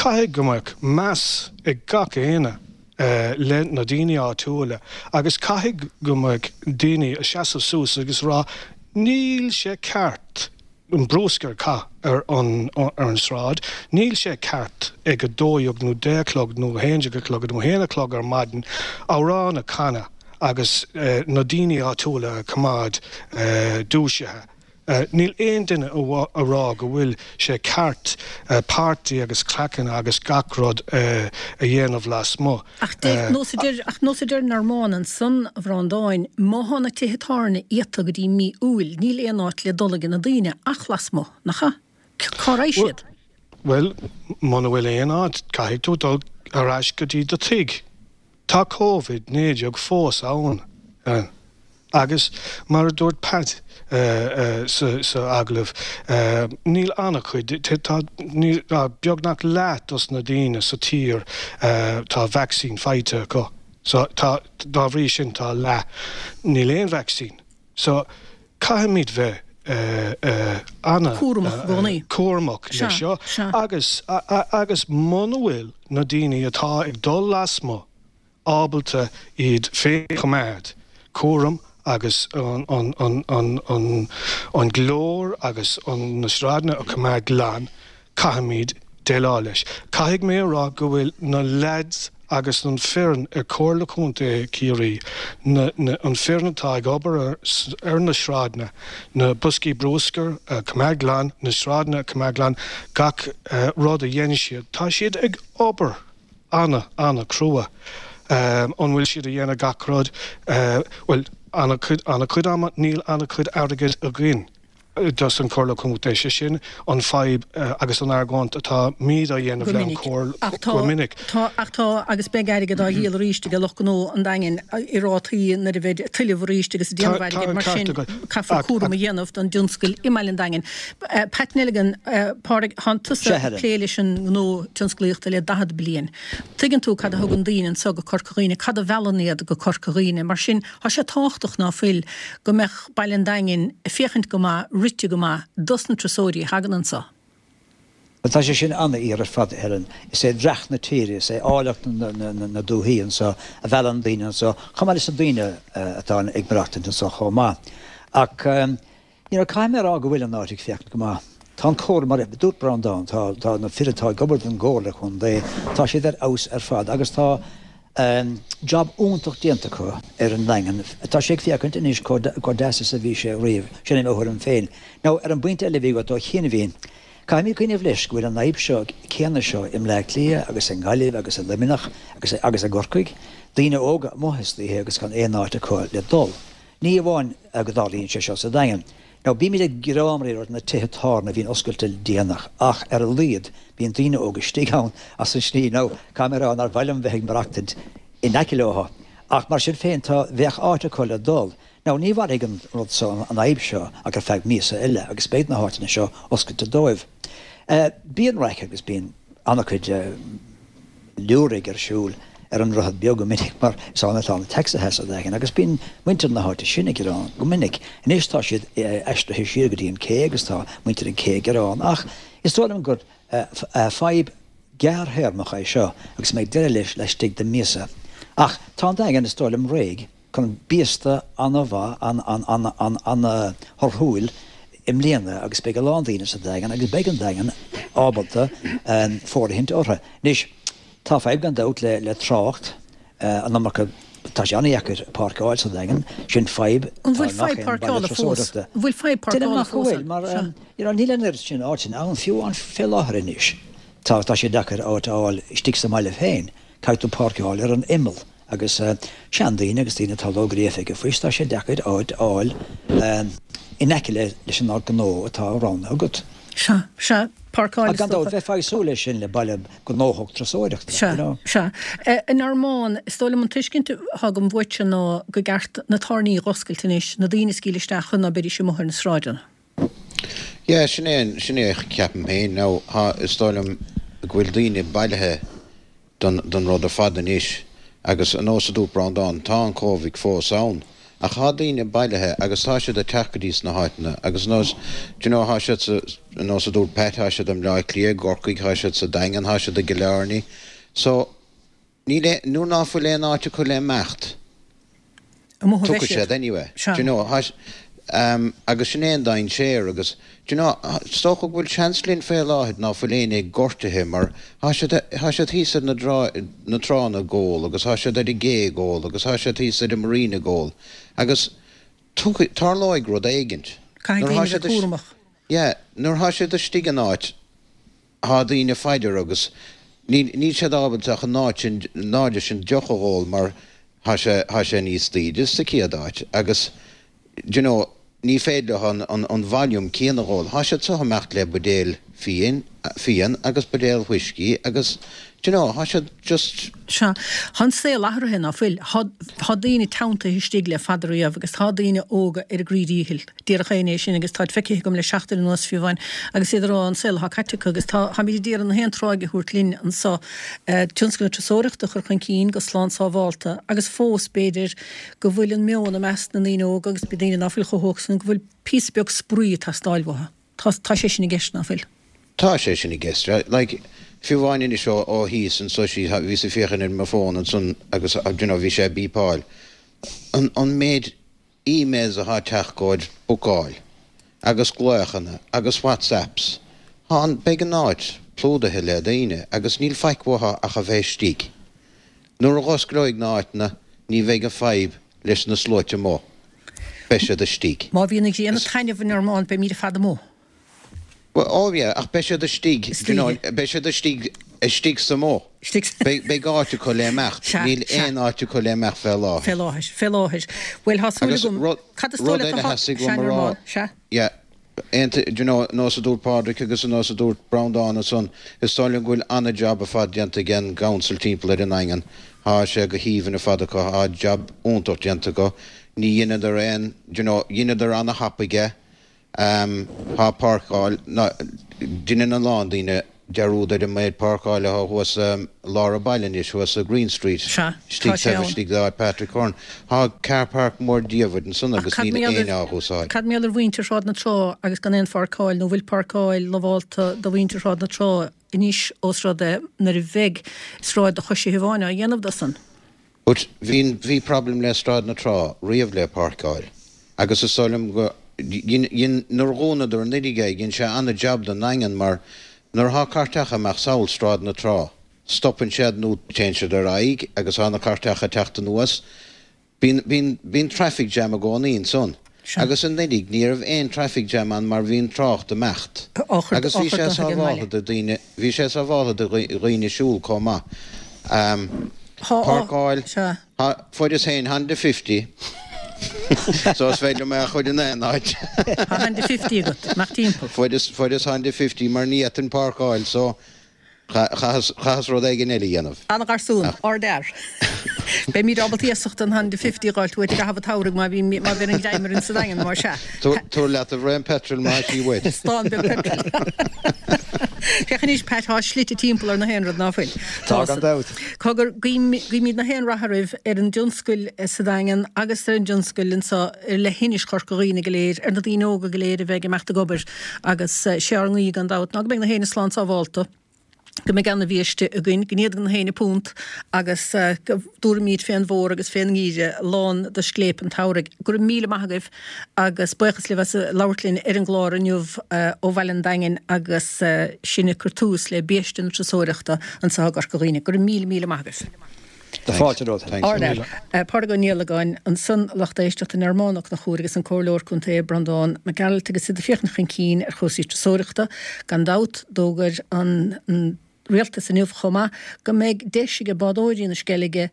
caithfidh go mbeadh meas ag gach éinne le na daoine áitiúla agus caithfidh go mbeadh daoine a seasamh suas agus rá níl sé ceart an bruscar a chaitheamh ar an ar an sráid, níl sé ceart ag a dó dhéag nó deich a chlog nó a haon déag a chlog nó a haon a chlog ar maidin amhrán a chanadh agus na daoine áitiúla a choimeád dúisithe. Níl aon duine a rá go bhfuil sé ceart páirtí agus craiceanna agus gach rud a dhéanamh lasmuigh. Ach deir, nós a deir, ach nós a deir Norman ansan, a Bhreandáin, má thá na tithe tábhairne iata go dtí mí Iúil, níl aon áit le dul ag na daoine ach lasmuigh, nach ea? Cá raghaidh siad? Bhuel, muna bhfuil aon áit, caithfidh tú dul ar ais go dtí do tigh. Tá Covid naoi déag fós ann. Agus mar a dúirt Pat sa agallamh, níl an-chuid, tá beagnach leath dos na daoine sa tír tá vacsaín faighte acu. So tá, dá bhrí sin tá leath, níl aon vacsaín. So caithfimid bheith ana Cúramach i gcónaí. cúramach le seo agus agus muna bhfuil na daoine atá ag dul lasmuigh ábalta iad féin a choimeád, cúram agus an an glór agus an na sráideanna a choimeád glan, caithfimid déileáil leis. Caithfidh mé a rá go bhfuil na leaids agus an foireann ar Chomhairle Contae Chiarraí, na na an foireann atá ag obair ar ar na sráideanna, na boscaí bruscair a choimeád glan, na sráideanna a choimeád glan, gach rud a dhéanann siad, tá siad ag obair ana, ana crua. An bhfuil siad a dhéanamh gach rud? Bhuel, ana chuid, ana chuid ama, níl ana chuid airgid againn dos an Chomhairle Contae. Sé sin an fadhb agus an argóint atáimid á dhéanamh le an Chomhairle go minic. Tá, ach tá, agus beidh airgead á dhíol arís ag lucht gnó an Daingin i rátaí nuair a bheidh tuilleamh arís agus ag déanamh airgid, mar sin caithfear cúram a dhéanamh don dtionscal i mBaile an Daingin. Pat Nelligan, Pádraig, thánn tusa ag plé leis an ngnó tionsclaíochta le daichead bliain. Tuigeann tú cad a thugann daoine anso go Corca Dhuibhne, cad a mheallann iad go Corca Dhuibhne. Mar sin, tá sé tábhachtach ná fuil go mbeadh Baile an Daingin ag féachaint go maith, rite go maith dos na turasóirí a thagann anso. Bhuel, tá sé sin an-fhíor ar fad, a Helen. Is é dreach na tíre, is é áilleacht na dúthaí anso a mheallann daoine anso, chomh maith leis na daoine atá ag maireachtaint anso chomh maith. Ach, you know, caithfidh mé a rá go bhfuil an áit ag féachaint go maith. Tá an cór, mar a dúirt Breandán, tá, tá na fir atá ag obair don gComhairle Chontae, tá siad ar fheabhas ar fad agus tá job iontach déanta acu ar an nDaingean. Tá sé ag féachaint anois chomh, chomh deas is a bhí sé riamh. Sin é mo thuairim féin. Now, ar an bpointe eile a bhí agat ó chianaibhín, caithfimid cuimhneamh leis go bhfuil an fhadhb seo, céanna seo i mBleá Cliath agus i nGaillimh agus i Luimneach agus, agus i gCorcaigh, daoine óga amuigh istoíche agus gan aon áit acu le dul. Ní amháin go dtarlaíonn sé seo sa Daingean. Now, bímid ag gearán ar na tithe tábhairne a bhíonn oscailte déanach, ach ar a laghad bíonn daoine óga istigh ann as an slí. Now, caithfidh mé a rá nár mhaith liom bheith ag maireachtaint in aice leo. Ach mar sin féin, tá, bheadh áit acu le dul. Now, ní mhairfidh an rud seo, an fhadhb seo, ach ar feadh míosa eile, agus beidh na háiteanna seo oscailte dóibh. Bíonn raic agus bíonn an-chuid liúraigh ar siúl ar an Droichead Beag go minic mar is ann atá na tacsaithe sa Daingean agus bíonn muintir na háite sin ag gearán go minic. Anois tá siad aistrithe siar go dtí an cé agus tá muintir an cé ag gearán ach is dóigh liom gur fadhb gearrthéarmach é seo agus mbeidh deireadh leis laistigh de mhíosa. Ach tá an Daingean is dóigh liom réidh chun biasta an-mhaith, an-thorthúil i mbliana agus beidh a lán daoine sa Daingean agus beidh an Daingean ábalta fóirithint orthu. Anois, tá fadhb gan dabht le trácht, an iomarca, tá sé an-dheacair páirceáil sa Daingean, sin fadhb An bhfuil fadhb páirceála fós? An bhfuil fadhb páirceála fós? Déanaim nach bhfuil, mar you know níl an oiread sin áiteanna ann fiú ann fé láthair anois. Tá tá sé deacair áit a fháil istigh sa mbaile féin, caithfidh tú páirceáil ar an imeall agus seandaoine agus daoine atá lógríofa ag a faois, tá sé deacair áit a fháil in aice leis an áit gnó atá roghnaithe agat. Sea, sea, páirceáil is dócha. Gan dabht, bheifeá ag súil leis sin le baile gnóthach turasóireachta, Sea, you know. sea. A Normáin, is dóigh liom an tuiscint atá agam uaitse ná go gceart na tábhairní a dh'oscailt anois, na daoine a scaoileadh isteach chun ná beidís amuigh ar na sráideanna. Yeah, sin é, sin é a cheapaim féin. Now, tá, is dóigh liom go bhfuil daoine bailithe don, don rud ar fad anois agus ar nós a dúirt Breandán, tá an Covid fós ann ach tá daoine bailithe agus tá siad ag teacht go dtí sna háiteanna agus nós, do you know, tá siad sa, nós a dúirt Pat, tá siad i mBleá Cliath, i gCorcaigh, tá siad sa Daingean, tá siad i gCill Airne. So, níl aon, nuair ná fuil aon áit acu le imeacht, Amuigh a bheidh tiocfaidh siad. siad anyway. Sea. Do you know, tá, um, agus sin é an dainséar agus, do you know, is dócha go bhfuil seans linn fé láthair ná fuil éinne gortaithe mar tá siad, tá siad thíos ar na drá, na tránna ag ól agus tá siad ar an gcé ag ól agus tá siad thíos ar an marina ag ól agus tiocfaidh, tarlóidh rud éigint. Caithfidh Nuair daoine atá a bheith siad, cúramach. yeah, nuair atá siad istigh in áit, Tá daoine faighdear agus níl níl siad ábalta ach an áit sin náide sin deoch a dh'ól mar thá sé thá sé níos taoide sa chéad áit agus d'you know ní féidir leo an an an volume céanna a dh'ól. Thá siad so ag imeacht le buidéal fíon fíon agus buidéal whiskey agus d'you know thá siad just Sea. Thá an saol athraithe, ná fuil? Thá thá daoine teanntaithe istigh le fada riamh agus thá daoine óga ar a gcroí díchill. Déarfadh éinne é sin agus táid feicthe agam le seachtain anuas fiú amháin agus iad ag rá an saol athá caite acu agus tá tháimid ag iarraidh na haon tráigh a thabhairt linn anso tionscal na turasóireachta a chur chun cinn go slán sábhálta agus fós b'fhéidir go bhfuil an meon i measc na ndaoine óga agus daoine ná fuil chomh hóg san go bhfuil píosa beag spraoi ag teastáil uathu. Tá tá sé sin i gceist, ná fuil? Tá sé sin i gceist. Like, fiú amháin anois ó ó thíos anso sí bhíos ag féachaint ar mo fón ansan agus you know bhí sé ag beepáil. An an méid emails athá ag teacht gcomhair bookáil agus glaochanna agus WhatsApps. Thá an beidh an áit plódaithe le daoine agus níl faic uathu ach a bheith istigh. Nuair a dh'osclóidh na háiteanna ní bheidh an fadhb leis na sluaite amuigh. Beidh siad istigh. Má bhíonn an ghrian ag taitneamh a Normáin beimid ar fad amuigh. Well, oh yeah, ach beidh siad istigh, do you know, Istoíche. beidh siad istigh, istigh sa amuigh. Istigh sa. Beidh, beidh áit acu le imeacht. Sea, Níl sea. aon áit acu le imeacht fé láthair. Fé láthair, fé láthair. Bhuel, thá súil Agus agam, rud, cad is dóigh rud leat eile a thá, theastaigh sea, uaim a rá, Normán, sea. yeah, aon, do you know, nós a dúirt Pádraic agus nós a dúirt Breandán ansan, is dóigh liom go bhfuil an-jab ar fad déanta ag an gcouncil timpeall ar an nDaingean. Thá sé go haoibhinn ar fad acu, thá jab iontach déanta acu. Ní dheineadar aon, do you know, dheineadar an-thapaidh é. Thá páirceáil, ná, deineann a lán daoine dearúd ar an méid páirceáil athá thuas i lár an bhaile anois, thuas i Green Street, Sea, istigh tá sé taobh ann. istigh d'áit Patrick Curran. Thá car park mór diamhair ansan Ach agus cad níl mar gheall éinne ar, á húsáid. cad mar gheall ar mhuintir Shráid na Trá agus gan aon pháirceáil, nó bhfuil páirceáil lamhálta do mhuintir Shráid na Trá anois ós rud é nuair a bheidh sráid do choisithe amháin á dhéanamh de san? But bhí, bhí problem le Sráid na Trá riamh le páirceáil agus is dóigh liom go, dhein, dhein, nuair a dhúnadar anuraidh é, dhein sé an-jab don nDaingean mar nuair athá cairteacha ag imeacht sall Sráid na Trá, stopann siad nó téann siad ar aghaidh agus thá na cairteacha ag teacht anuas. Bíonn, bíonn, bíonn traffic jam i gcónaí ansan. Sea. Agus anuraidh ní raibh aon traffic jam ann mar bhí an trácht ag imeacht. Á chur, Agus á bhí chur sé de ag an mbaile. sábháltha do dhaoine, bhí sé sábháltha do dhaoine siúl chomh maith. Um, Thá, á, páirceáil, sea. thá, fuaireas féin Honda fifty so is féidir liom é a chur in aon áit. Thá Honda fifty agat, amach timpeall. Fuaireas, fuaireas Honda fifty mar ní fhéadfainn páirceáil so Chaitheas rud éigin eile a dhéanamh. An-gharsún, ardfhear. Beimid ábalta iasacht an hundred fifty a dh'fháilt uait i gcaitheamh an tsamhraidh má bhíonn má bhíonn an greim orainn sa Daingean, más ea. Tabhair leat a bhraon peitril má tá sí uait. Stán beag peitril. Féach anois Pat, tá slite timpeall ar na haon rud, ná fuil? Tá gan dabht. Cogar, guímid na haon rath oraibh ar an dtionscal sa Daingean agus ar an dtionscal anseo ar leithinis Chorca Dhuibhne go léir, ar na daoine óga go léir a bheidh ag imeacht ag obair agus sé ár nguí gan dabht ná go mbeidh na héinne slán sábhálta, go mbeidh ana-bhiaiste againn, go n-íocfaidh na héinne punt agus go dtabharfaimid fén bhfómhar agus fén ngeimhreadh lán de scléip an tsamhraidh. Go raibh míle maith agaibh agus buíochas libh as labhairt linn ar an gclár inniu ó bhaile an Daingin agus sinn ag cur tús le biaiste na turasóireachta anseo i gCorca Dhuibhne. Go raibh míle míle maith agaibh. Tá fáilte romhat. Ardfhear. Pádraig Ó Niallagáin, ansan a lucht éisteachta, Nearmán Ó Conchúir agus an Comhairleoir Contae Breandán Mac Gearailt agus iad ag féachaint chun cinn ar chúrsaí turasóireachta. Gan dabht, d'fhógair an Rialtas inniu chomh maith go mbeidh deis ag bádóirí na Sceilge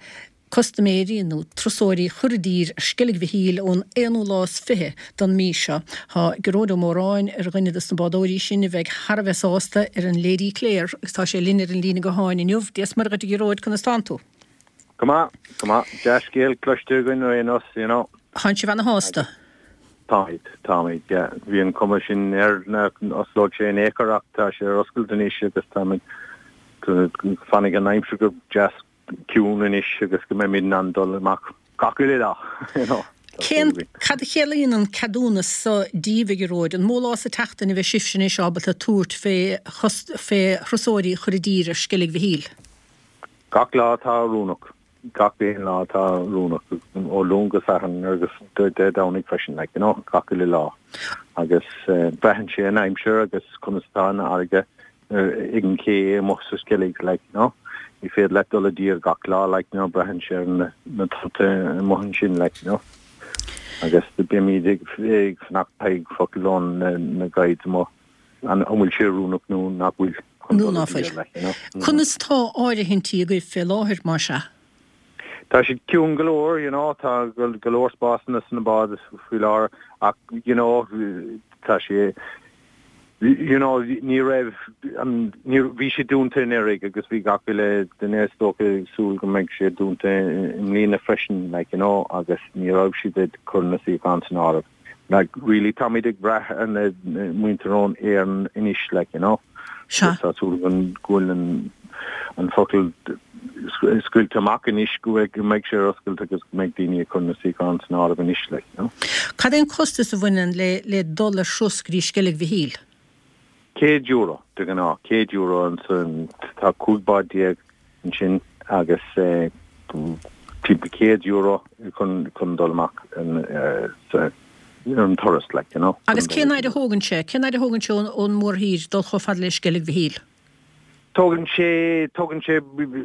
custaiméirí nó turasóirí a chur i dtír ar Sceilg Mhichíl ón aonú lá is fiche den mí seo. Tá Gearóid Ó Móráin ar dhuine dos na bádóirí sin a bheidh thar a bheith sásta ar an Lady Clare agus tá sé linn ar an líne gutháin inniu. Dia is Muire dhuit a Ghearóid, conas tánn tú? Go maith, go maith. Dea-scéal cloiste againn ar aon nós, you know. Tánn sibh ana-shásta? Táimid, táimid, yeah. Bhí an cuma sin air nach n-osclódh sé in aon chor ach tá sé ar oscailt anois agus táimid, fanfaidh an aimsir go deas ciúin anois agus go mbeimid in ann dul amach gach uile lá, you know. Cén, cad a chiallaíonn an ceadúnas so díbh, a Ghearóid? An mó lá sa tseachtain a bheidh sibhse anois ábalta tabhairt fé, fé thurasóirí a chur i dtír ar Sceilg Mhichíl? Gach lá atá oiriúnach, gach aon lá atá oiriúnach, ó Luan go Satharn agus Dé Domhnaigh freisin, like, you know, gach uile lá. Agus braitheann sé an aimsir agus conas atá an fharraige ag an ché amuigh sa Sceilg, like, you know. Ní féidir leat dul i dtír gach lá, like, you know, braitheann sé ar na tonnta amuigh ansin, like, you know. Agus beimid ag fanacht feadh focal ó na guides amuigh. An bhfuil sé oiriúnach nó nach bhfuil chun Nó dul ná i fuil. dtír, like, you know. Conas tá áirithintí agaibh fé láthair, más ea? Tá siad ciúin go leor, you know, tá go leor spásanna sna báid faoi láthair ach, you know, tá sé, you know, ní raibh an, ní, bhí sé dúnta anuraidh agus bhí gach uile duine is dócha ag súil go mbeidh sé dúnta i mbliana freisin, like, you know, agus ní raibh siad ag cur na suíochán san áireamh. Like, really, táimid ag brath ar na muintir ón Éireann anois, like, you know. Sea. Tá súil againn go bhfuil an, an focal scaoilte amach anois go bhfuil, go mbeidh sé ar oscailt agus go mbeidh daoine ag cur na suíochán san áireamh anois, like, you know. Cad é an costas a bhaineann le, le dul ar thuras go dtí Sceilg Mhichíl? Céad euro, de ghnáth, céad euro ansan, tá cúig bád déag ansin agus timpeall céad euro chun, chun dul amach sa, ar an turas, like, you know. Agus cén fhaid a thógann sé, cén fhaid a thógann sé ón, ón mórthír dul chomh fada le Sceilg Mhichíl? Tógann sé, tógann sé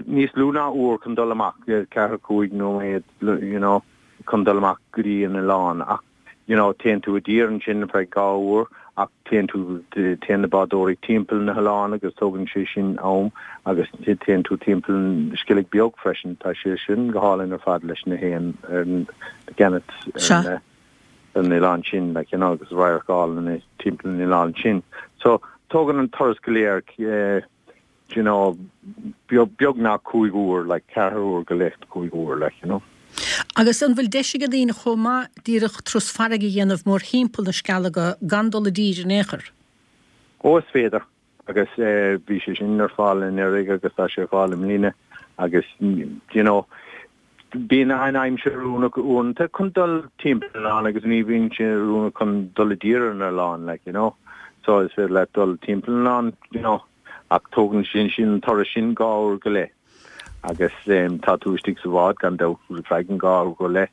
níos lú ná uair chun dul amach, ceathair, cúig nóiméad, you know, chun dul amach go dtí an oileán ach, you know, téann tú i dtír ansin ar feadh dhá uair ach téann tú, téann na bádóirí timpeall na hoileán agus tógann sé sin am agus téann tú timpeall an Sceilg Beag freisin, tá sé sin go hálainn ar fad leis na héin ar na gannets ar na, ar an oileán sin, like, you know, agus radharc álainn timpeall an oileáin sin. So, tógann an turas go léir, eh, you know, beagnach cúig uair, like, ceathair uair go leith, cúig uair, like, you know. Agus an bhfuil deis ag daoine chomh maith díreach turas farraige a dhéanamh mórthimpeall na Sceilge gan dul i dtír in aon chor? Ó, is féidir. Agus eh, bhí sé sin ar fáil anuraidh agus tá sé ar fáil i mbliana agus, you know, Bíonn an aimsir oiriúnach uaireanta chun dul timpeall an oileáin agus ní bhíonn sé oiriúnach chun dul i dtír ar an oileán, like, you know. So is féidir leat dul timpeall an oileáin, you know, ach tógann sin sin an turas sin dhá uair go leith. Agus um, tá tú istigh sa bhád gan dabht ar feadh an dhá uair go leith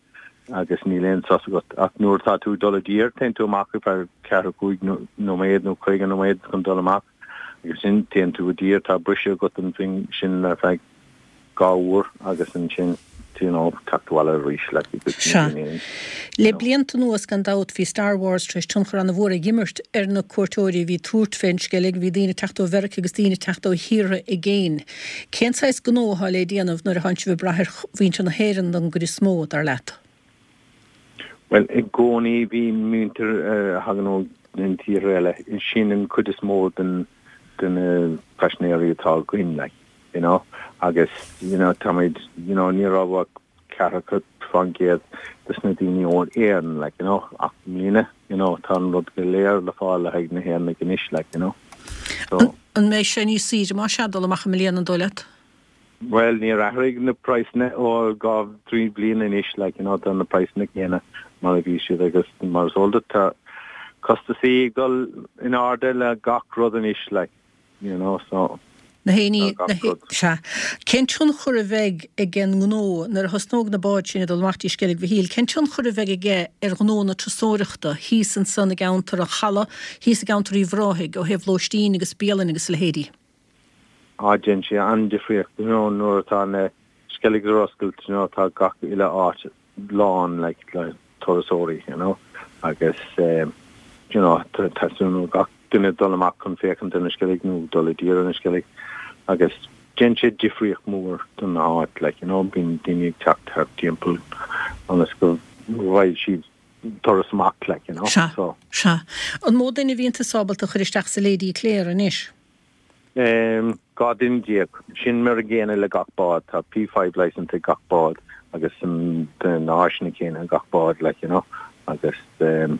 agus níl aon sos agat. Ach nuair atá tú ag dul i dtír, téann tú amach ar feadh ceathair cúig nóiméad nó caoga nóiméad chun dul amach agus sin téann tú i dtír, tá briseadh agat ansin ar feadh dhá uair agus ansin you know teacht abhaile arís like you could Sea. you Le know. blianta anuas, gan dabht, bhí Star Wars tar éis tionchar an-mhór a dh'imirt ar na cuairteoirí a bhí ag tabhairt fén Sceilg. Bhí daoine ag teacht ó Mheirice agus daoine ag teacht ó thíortha i gcéin. Cén saghas gnó atá le déanamh nuair atánn sibh ag brath ar mhuintir na hÉireann don gcuid is mó, dar leat? Bhuel, i gcónaí bhí muintir a thagann ó na tíortha eile. Sin an chuid is mó den de na paisinéirí atá againn like you know agus you know táimid you know ní raibh ach ceathracha faoin gcéad des na daoine ó Éirinn like you know ach i mbliana you know tá an rud go léir le fáil le haghaidh na hÉireannaigh anois like you know so An mbeidh sé níos saoire más ea dul amach i mbliana an dóigh leat? Bhuel níor athraigh na praghsanna ó dhá trí bliana anois like you know tá na praghsanna céanna mar a bhí siad agus mar is eol duit tá costasaí ag dul in airde le gach rud anois like you know so Na héinní, na hé, sea. Cén tionchar a bheidh ag an ngnó nuair a thosnóidh na báid sin ag dul amach dtí Sceilg Mhichíl, cén tionchar a bheidh aige ar ghnó na turasóireachta thíos ansan i gceantar an Chalaidh, thíos i gceantar Uíbh Ráthaigh, ó thaobh lóistín agus bialann agus a leithéidí? Á, déanann sé an-difríocht, you know, nuair atá na Sceilg ar oscailt, you know, tá gach uile áit lán like le turasóirí, you know, agus um, you know, teastaíonn ó gach duine dul amach chun féachaint ar na Sceilg nó dul i dtír ar na Sceilg agus déanann sé difríocht mór don áit, like, you know, bíonn daoine ag teacht thart timpeall ionas go bhfaighidh siad turas amach, like, you know, Sea, so. sea. An mó duine a bhíonn tusa ábalta a chur isteach sa Lady Clare anois? Ehm, dhá duine déag. Sin mar a gcéanna le gach bád. Tá P five licence ag gach bád agus na háiseanna céanna ag gach bád, like, you know, agus ehm,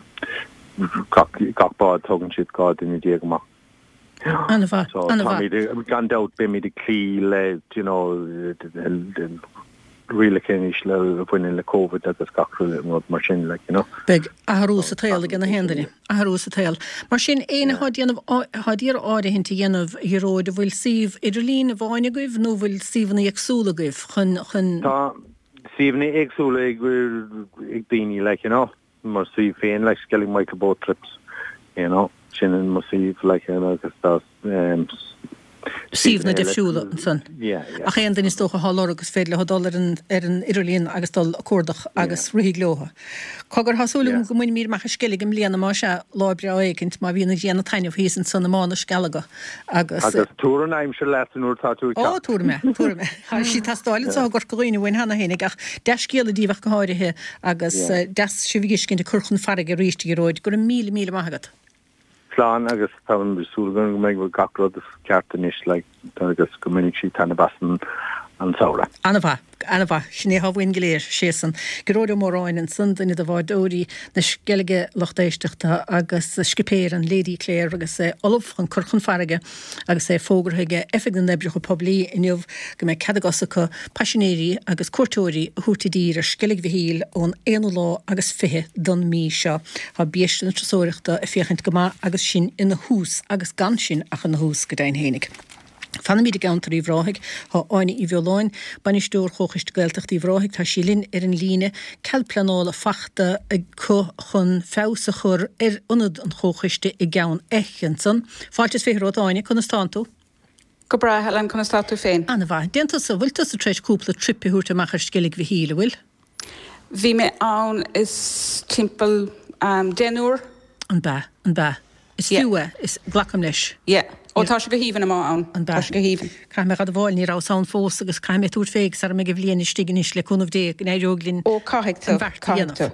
gach, gach bád tógann siad dhá duine déag amach. An-mhaith, So an-mhaith. táimid, gan dabht beimid ag cloí le, you know, rialacha anois le, a bhaineann le Covid agus gach rud mar sin, like, you know. Beidh athrú sa tsaol ag na haon duine. Athrú sa tsaol. Mar sin, éinne atá ag déanamh, atá ag iarraidh áirithint a dhéanamh, a Ghearóid, an bhfuil suíomh idirlín amháin agaibh nó an bhfuil suíomhanna éagsúla agaibh chun, chun. Tá suíomhanna éagsúla ag, ag daoine, like, you know. Mo suíomh féin, like, Skellig Michael Boat Trips, you know, sin an mo suíomh, like, you know, agus tá, um, Suíomhanna difriúla ansan. Yeah, yeah. Ach aon duine is dócha atá á lorg is féidir leo dul ar an ar an idirlíon agus dul a cuardach agus rithfidh leo. Cogar, tá súil agam go mbainfimid amach an Sceilg i mbliana más ea, lá breá éicint má bhíonn an ghrian ag taitneamh thíos ansan i mBá na Scealaga agus. Agus tabhair an aimsir leat nuair atá tú ag Ó, teacht. tabharfaidh mé, tabharfaidh mé. Tá sí ag teastáil anseo i gCorca Dhuibhne uainn cheana féinig ach dea-scéala daoibh ach go háirithe agus deas sibh a fheiscint ag cur chun farraige arís, a Ghearóid. Go raibh míle míle maith agat. Slán agus tá súil agam go mbeidh gach rud ceart anois like agus go mbainfidh siad taitneamh as an an samhradh. An-mhaith, an-mhaith. Sin é atá uainn go léir, sésan. Gearóid Ó Móráin ansan, duine de bhádóirí na Sceilge lucht éisteachta agus scipéir an Lady Clare agus é ullamh chun cur chun farraige agus é fógartha ag Oifig na nOibreacha Poiblí inniu go mbeidh cead a gcos acu paisinéirí agus cuairteoirí a thabhairt i dtír ar Sceilg Mhichíl ón aonú lá agus fiche don mí seo. Tá biaiste na turasóireachta ag féachaint go maith agus sinn ina thús agus gan sinn ach ina thús go deimhin fhéinig. Fanaimid i gceantar Uíbh Ráthaigh. Tá Áine Uí Bheoláin, Bainisteoir Chomhchoiste Gaeltachta Uíbh Ráthaigh, tá sí linn ar an líne. Cead pleanála fachta acu chun feabhas a chur ar ionad an Chomhchoiste i gCeann Eich ansan. Fáilte is fiche romhat, Áine, conas tánn tú? Go breá, Helen, conas tá tú féin? Ana-mhaith. Déan tusa, bhfuil tusa tar éis cúpla trip a thabhairt amach ar Sceilg Mhichíl, an bhfuil? Bhí mé ann is timpeall deich n-uair. An b'ea? An b'ea? Is fiú é, is, glacaim leis. Yeah. Ó tá sé go haoibhinn amuigh ann. An b'ea? Tá sé go haoibhinn. Caithfidh mé a admháil, ní rabhas ann fós agus caithfidh mé tabhairt fé sara mbeidh an bhliain istigh anois, le cúnamh Dé, go n-éireoidh linn Ó caithfidh tú, an bheart a caithfidh dhéanamh. tú.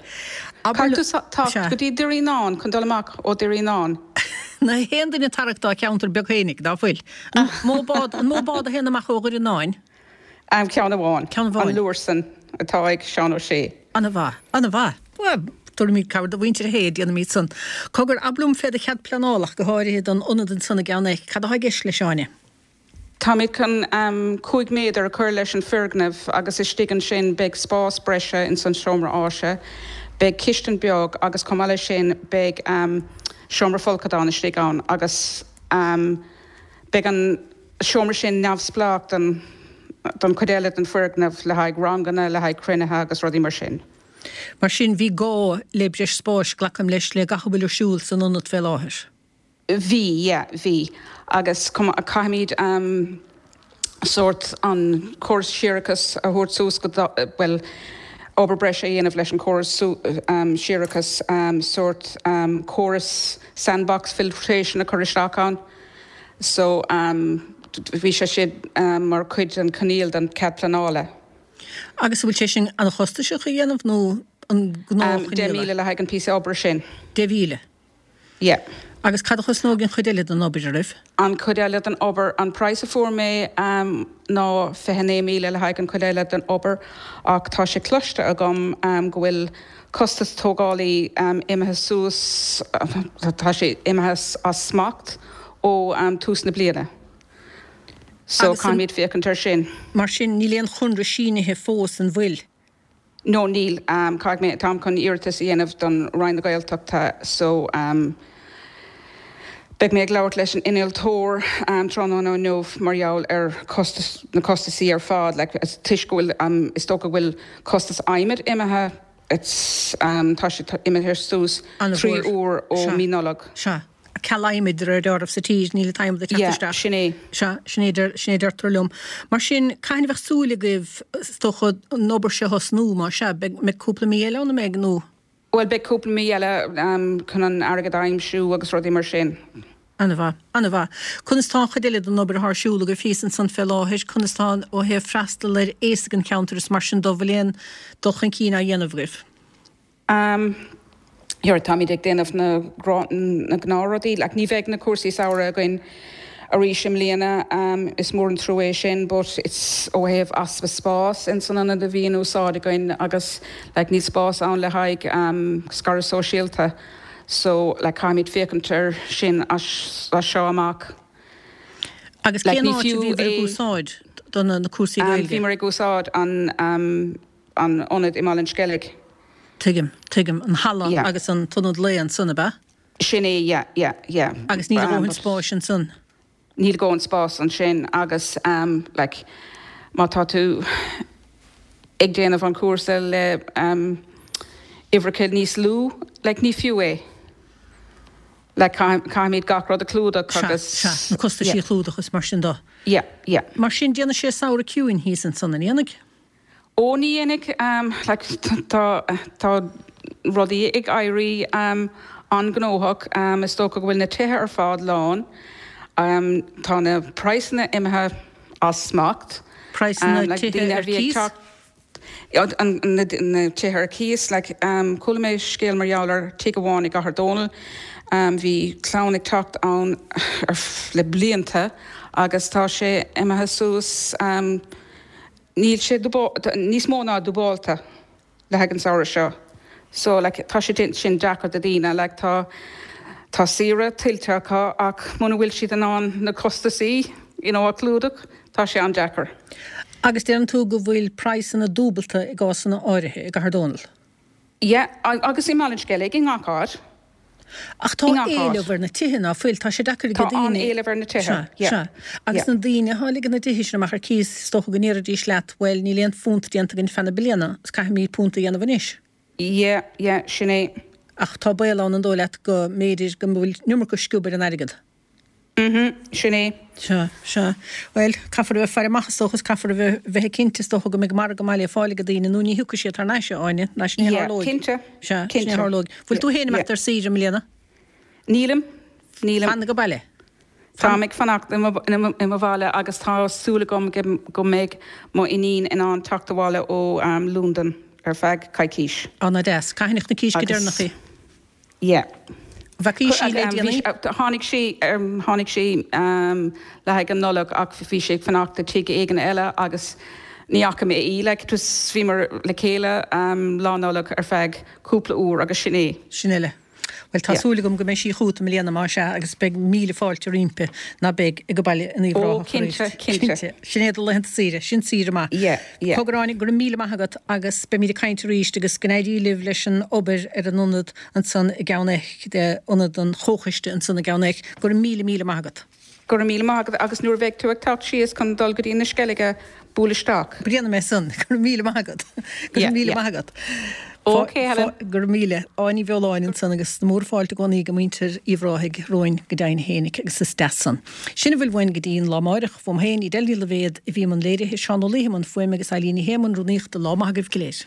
Abair Caithfidh tú liom, teacht sea. go dtí Doire Fhíonáin chun dul amach ó Doire Fhíonáin. Nach aon duine ag tarrac dá cheantar beag fhéinig, ná fuil? An mó bád, an mó bád a théann amach ó Dhoire Fhíonáin? Ceann amháin. Ceann amháin. An Lúrsainn atá ag Seán Ó Sé. Ana-mhaith. Ana-mhaith. Bhuel, tabharfaimid cabhair do mhuintir Shé, déanfaimid san. Cogar, abair liom fé do chead pleanála ach go háirithe don ionad ansan i gCeann Eich. Cad atá i gceist leis, Áine? Táimid chun cúig méadar a chur leis an foirgneamh agus istigh ansin beidh spás breise ins an seomra áise, beidh cistin beag agus chomh maith leis sin beidh seomra folcadán istigh ann agus beidh an seomra sin neamhspleách don don chuid eile den foirgneamh le haghaidh ranganna, le haghaidh cruinnithe agus rudaí mar sin. Mar sin, bhí gá le breis spáis, glacaim leis, le gach a bhfuil ar siúl san ionad fé láthair. Bhí, yeah, bhí. Agus caithfimid sórt an córas séarachais a thabhairt suas go, bhuel, obair breise a dhéanamh leis an chóras séarachais, sórt córas sandbox filtration a chur isteach ann. So bhí sé sin mar chuid den choinníoll den cead pleanála. Agus an bhfuil sé sin an-chostasach a dhéanamh nó an gnáthchoinníoll é? Deich míle le haghaidh an píosa oibre sin. Deich mhíle? Yeah. Agus cad a chosnóidh an chuid eile den obair oraibh? An chuid eile den obair, an praghas a fuair mé ná fiche naoi míle le haghaidh an chuid eile den obair ach tá sé cloiste agam go bhfuil costas tógálaí imithe suas, tá sé imithe as smacht ó tús na bliana. So caithfimid féachaint air sin. Mar sin níl aon chonradh sínithe fós, an bhfuil? No níl. Caithfidh mé, táim chun iarratas a dhéanamh don Roinn na Gaeltachta so beidh mé ag labhairt leis an innealtóir tráthnóna inniu mar gheall ar costas, na costasaí ar fad like toisc go bhfuil, is dócha go bhfuil costas adhmaid imithe, it's tá sé imithe suas trí huair ó mí Nollag. Sea. Ceal adhmaid de réir dealraimh sa tír, níl an t-adhmad ag teacht Yeah, isteach. sin é. Sea, sin é, sin é deirtear liom. Mar sin, cathain a bheadh súil agaibh, is dócha, an obair seo a thosnú, más ea? Beidh, mbeidh cúpla mí eile ann, an mbeidh, nó? Bhuel, beidh cúpla mí eile chun an airgead a aimsiú agus rudaí mar sin. An-mhaith, an-mhaith. Conas tá an chuid eile den obair atá ar siúl agaibh thíos ansan fé láthair? Conas tá ó thaobh freastal ar aosaigh an cheantair is mar sin de, bhfuil aon dul chun cinn á dhéanamh agaibh? Um, yeah, táimid ag déanamh na na gnáthrudaí, like ní bheidh na cúrsaí samhraidh againn arís i mbliana, um, is mór an trua é sin, but it's ó thaobh easpa spás in san ionad a bhí in úsáid againn agus like níl spás ann le haghaidh um, scaradh sóisialta, so like caithfimid féachaint ar sin as, as seo amach. Agus Like cén ní áit a fiú bhíobhair ag é úsáid do na na cúrsaí um, Gaeilge? bhíomar ag úsáid an um, an ionad i mBaile an Sceilg. Tuigim, tuigim, an halla Yeah. agus an t-ionad lae ansan, ab ea? Sin é, yeah, yeah, yeah. Agus níl a Um, dhóthain but spáis ansan. níl a dhóthain spás ansin agus um, like, má tá tú ag déanamh an cúrsa le um, uimhreacha níos lú, like, ní fiú é. Like, caithfimid gach rud a chlúdach Sea, agus sea, na costaisí yeah. a chlúdach is mar sin de. Yeah, yeah. Mar sin déanfaidh sé samhradh ciúin thíos ansan, an ndéanfaidh? Ó ní dhéanfaidh, um, like, tá, tá rudaí ag éirí um, an-ghnóthach, um, is dócha go bhfuil na tithe ar fad lán, um, tá na praghsanna imithe as smacht. Praghsanna Um, like, tithe daoine a ar bhí ag cíos? teacht Ja, an, na, na tithe ar cíos, like, um, chuala mé scéal mar gheall ar tigh amháin i gCathair Dónall, um, bhí clann ag teacht ann ar f- le blianta agus tá sé imithe suas, um, níl sé dúbá- níos mó ná dúbálta le haghaidh an samhradh seo. So like, tá sé sin deacair do daoine, like, tá tá saoire tuillte acu ach muna bhfuil siad in ann na costasaí you know, a chlúdach, tá sé an-deacair. Agus deireann tú go bhfuil praghsanna dúbalta i gcásanna áirithe i gCathair Dónall. Yeah, agus i mBaile an Sceilg i ngach áit. Ach tá I ngach áit. éileamh ar na tithe ná fuil, tá sé deacair ag Tá daoine. an-éileamh ar na tithe, Sea, yeah. sea. Agus Yeah. na daoine atá ag ligean na dtithe sin amach ar cíos, is dócha go ndéarfaidís leat, bhuel, níl aon phunt déanta againn feadh na bliana, is caithfimid punt a dhéanamh anois. Yeah, yeah, sin é. Ach tá baol ann an dóigh leat go mb'fhéidir go bhfuil an iomarca sciob ar an airgead. Mhm, sin é. Sea, sea. Bhuel, caithfear a bheith ag faire amach is dócha, is caithfear a bheith bheith ag cinnte is dócha go mbeidh margadh maith le fáil ag daoine nó ní thiocfaidh siad thar n-ais, a Áine, ná sin é Yeah, tharlóidh. cinnte, Sea, sin é cinnte. tharlóidh. Bhfuil tú féin Yeah. imeacht ar saoire i mbliana? Nílim, nílim. Fan ag baile? Táim ag fanacht i mo, i mo, i mo bhaile agus tá súil agam go, go mbeidh mo iníon in ann teacht abhaile ó um, Londain ar feadh coicís. Á ná deas. Cathain na Císte go Agus- deireanach í? Yeah. Bhfaca sí le Um, bhí déanaí? sí- uh, Tháinig sí um, tháinig sí um, le haghaidh an Nollag ach bhí sé ag fanacht i tigh éigin eile agus ní fhaca mé í like, just bhíomar le chéile um, lá Nollag ar feadh cúpla uair agus sin é. Sin eile. Well tá Yeah. súil agam go mbeidh sí chugat i mbliana mar sea agus beidh míle fáilte roimpi ná beidh ag baile in Uíbh Ó, Ráthach cinnte, arís. cinnte. Sin é do laethanta saoire, sin saoire maith. Yeah, yeah. Cogar Áine, go raibh míle maith agat agus beimid ag caint arís agus go n-éirí libh leis an obair ar an ionad ansan i gCeann Eich, de ionad an chomhchoiste ansan i gCeann Eich, go raibh míle míle maith agat. Go raibh míle maith agat agus nuair a bheidh tú ag teacht síos chun dul go dtí na Sceilge buail isteach. Déanfaidh mé san, go raibh míle maith agat. Go raibh Yeah, míle yeah. maith agat. Ok, Helen. Go raibh míle Áine Ní Bheoláin ansan agus na mórfháilte i gcónaí go muintir Uíbh Ráthaigh romhainn go deimhin fhéinig agus is deas san. Sin a bhfuil uainn go dtí an lá amárach uaim féin Edel Ní Loibhéad a bhí i mbun léirithe Seán Ó Laoithe i mbun fuaime agus Eileen Ní Shé i mbun rúnaíochta lá maith agaibh go léir.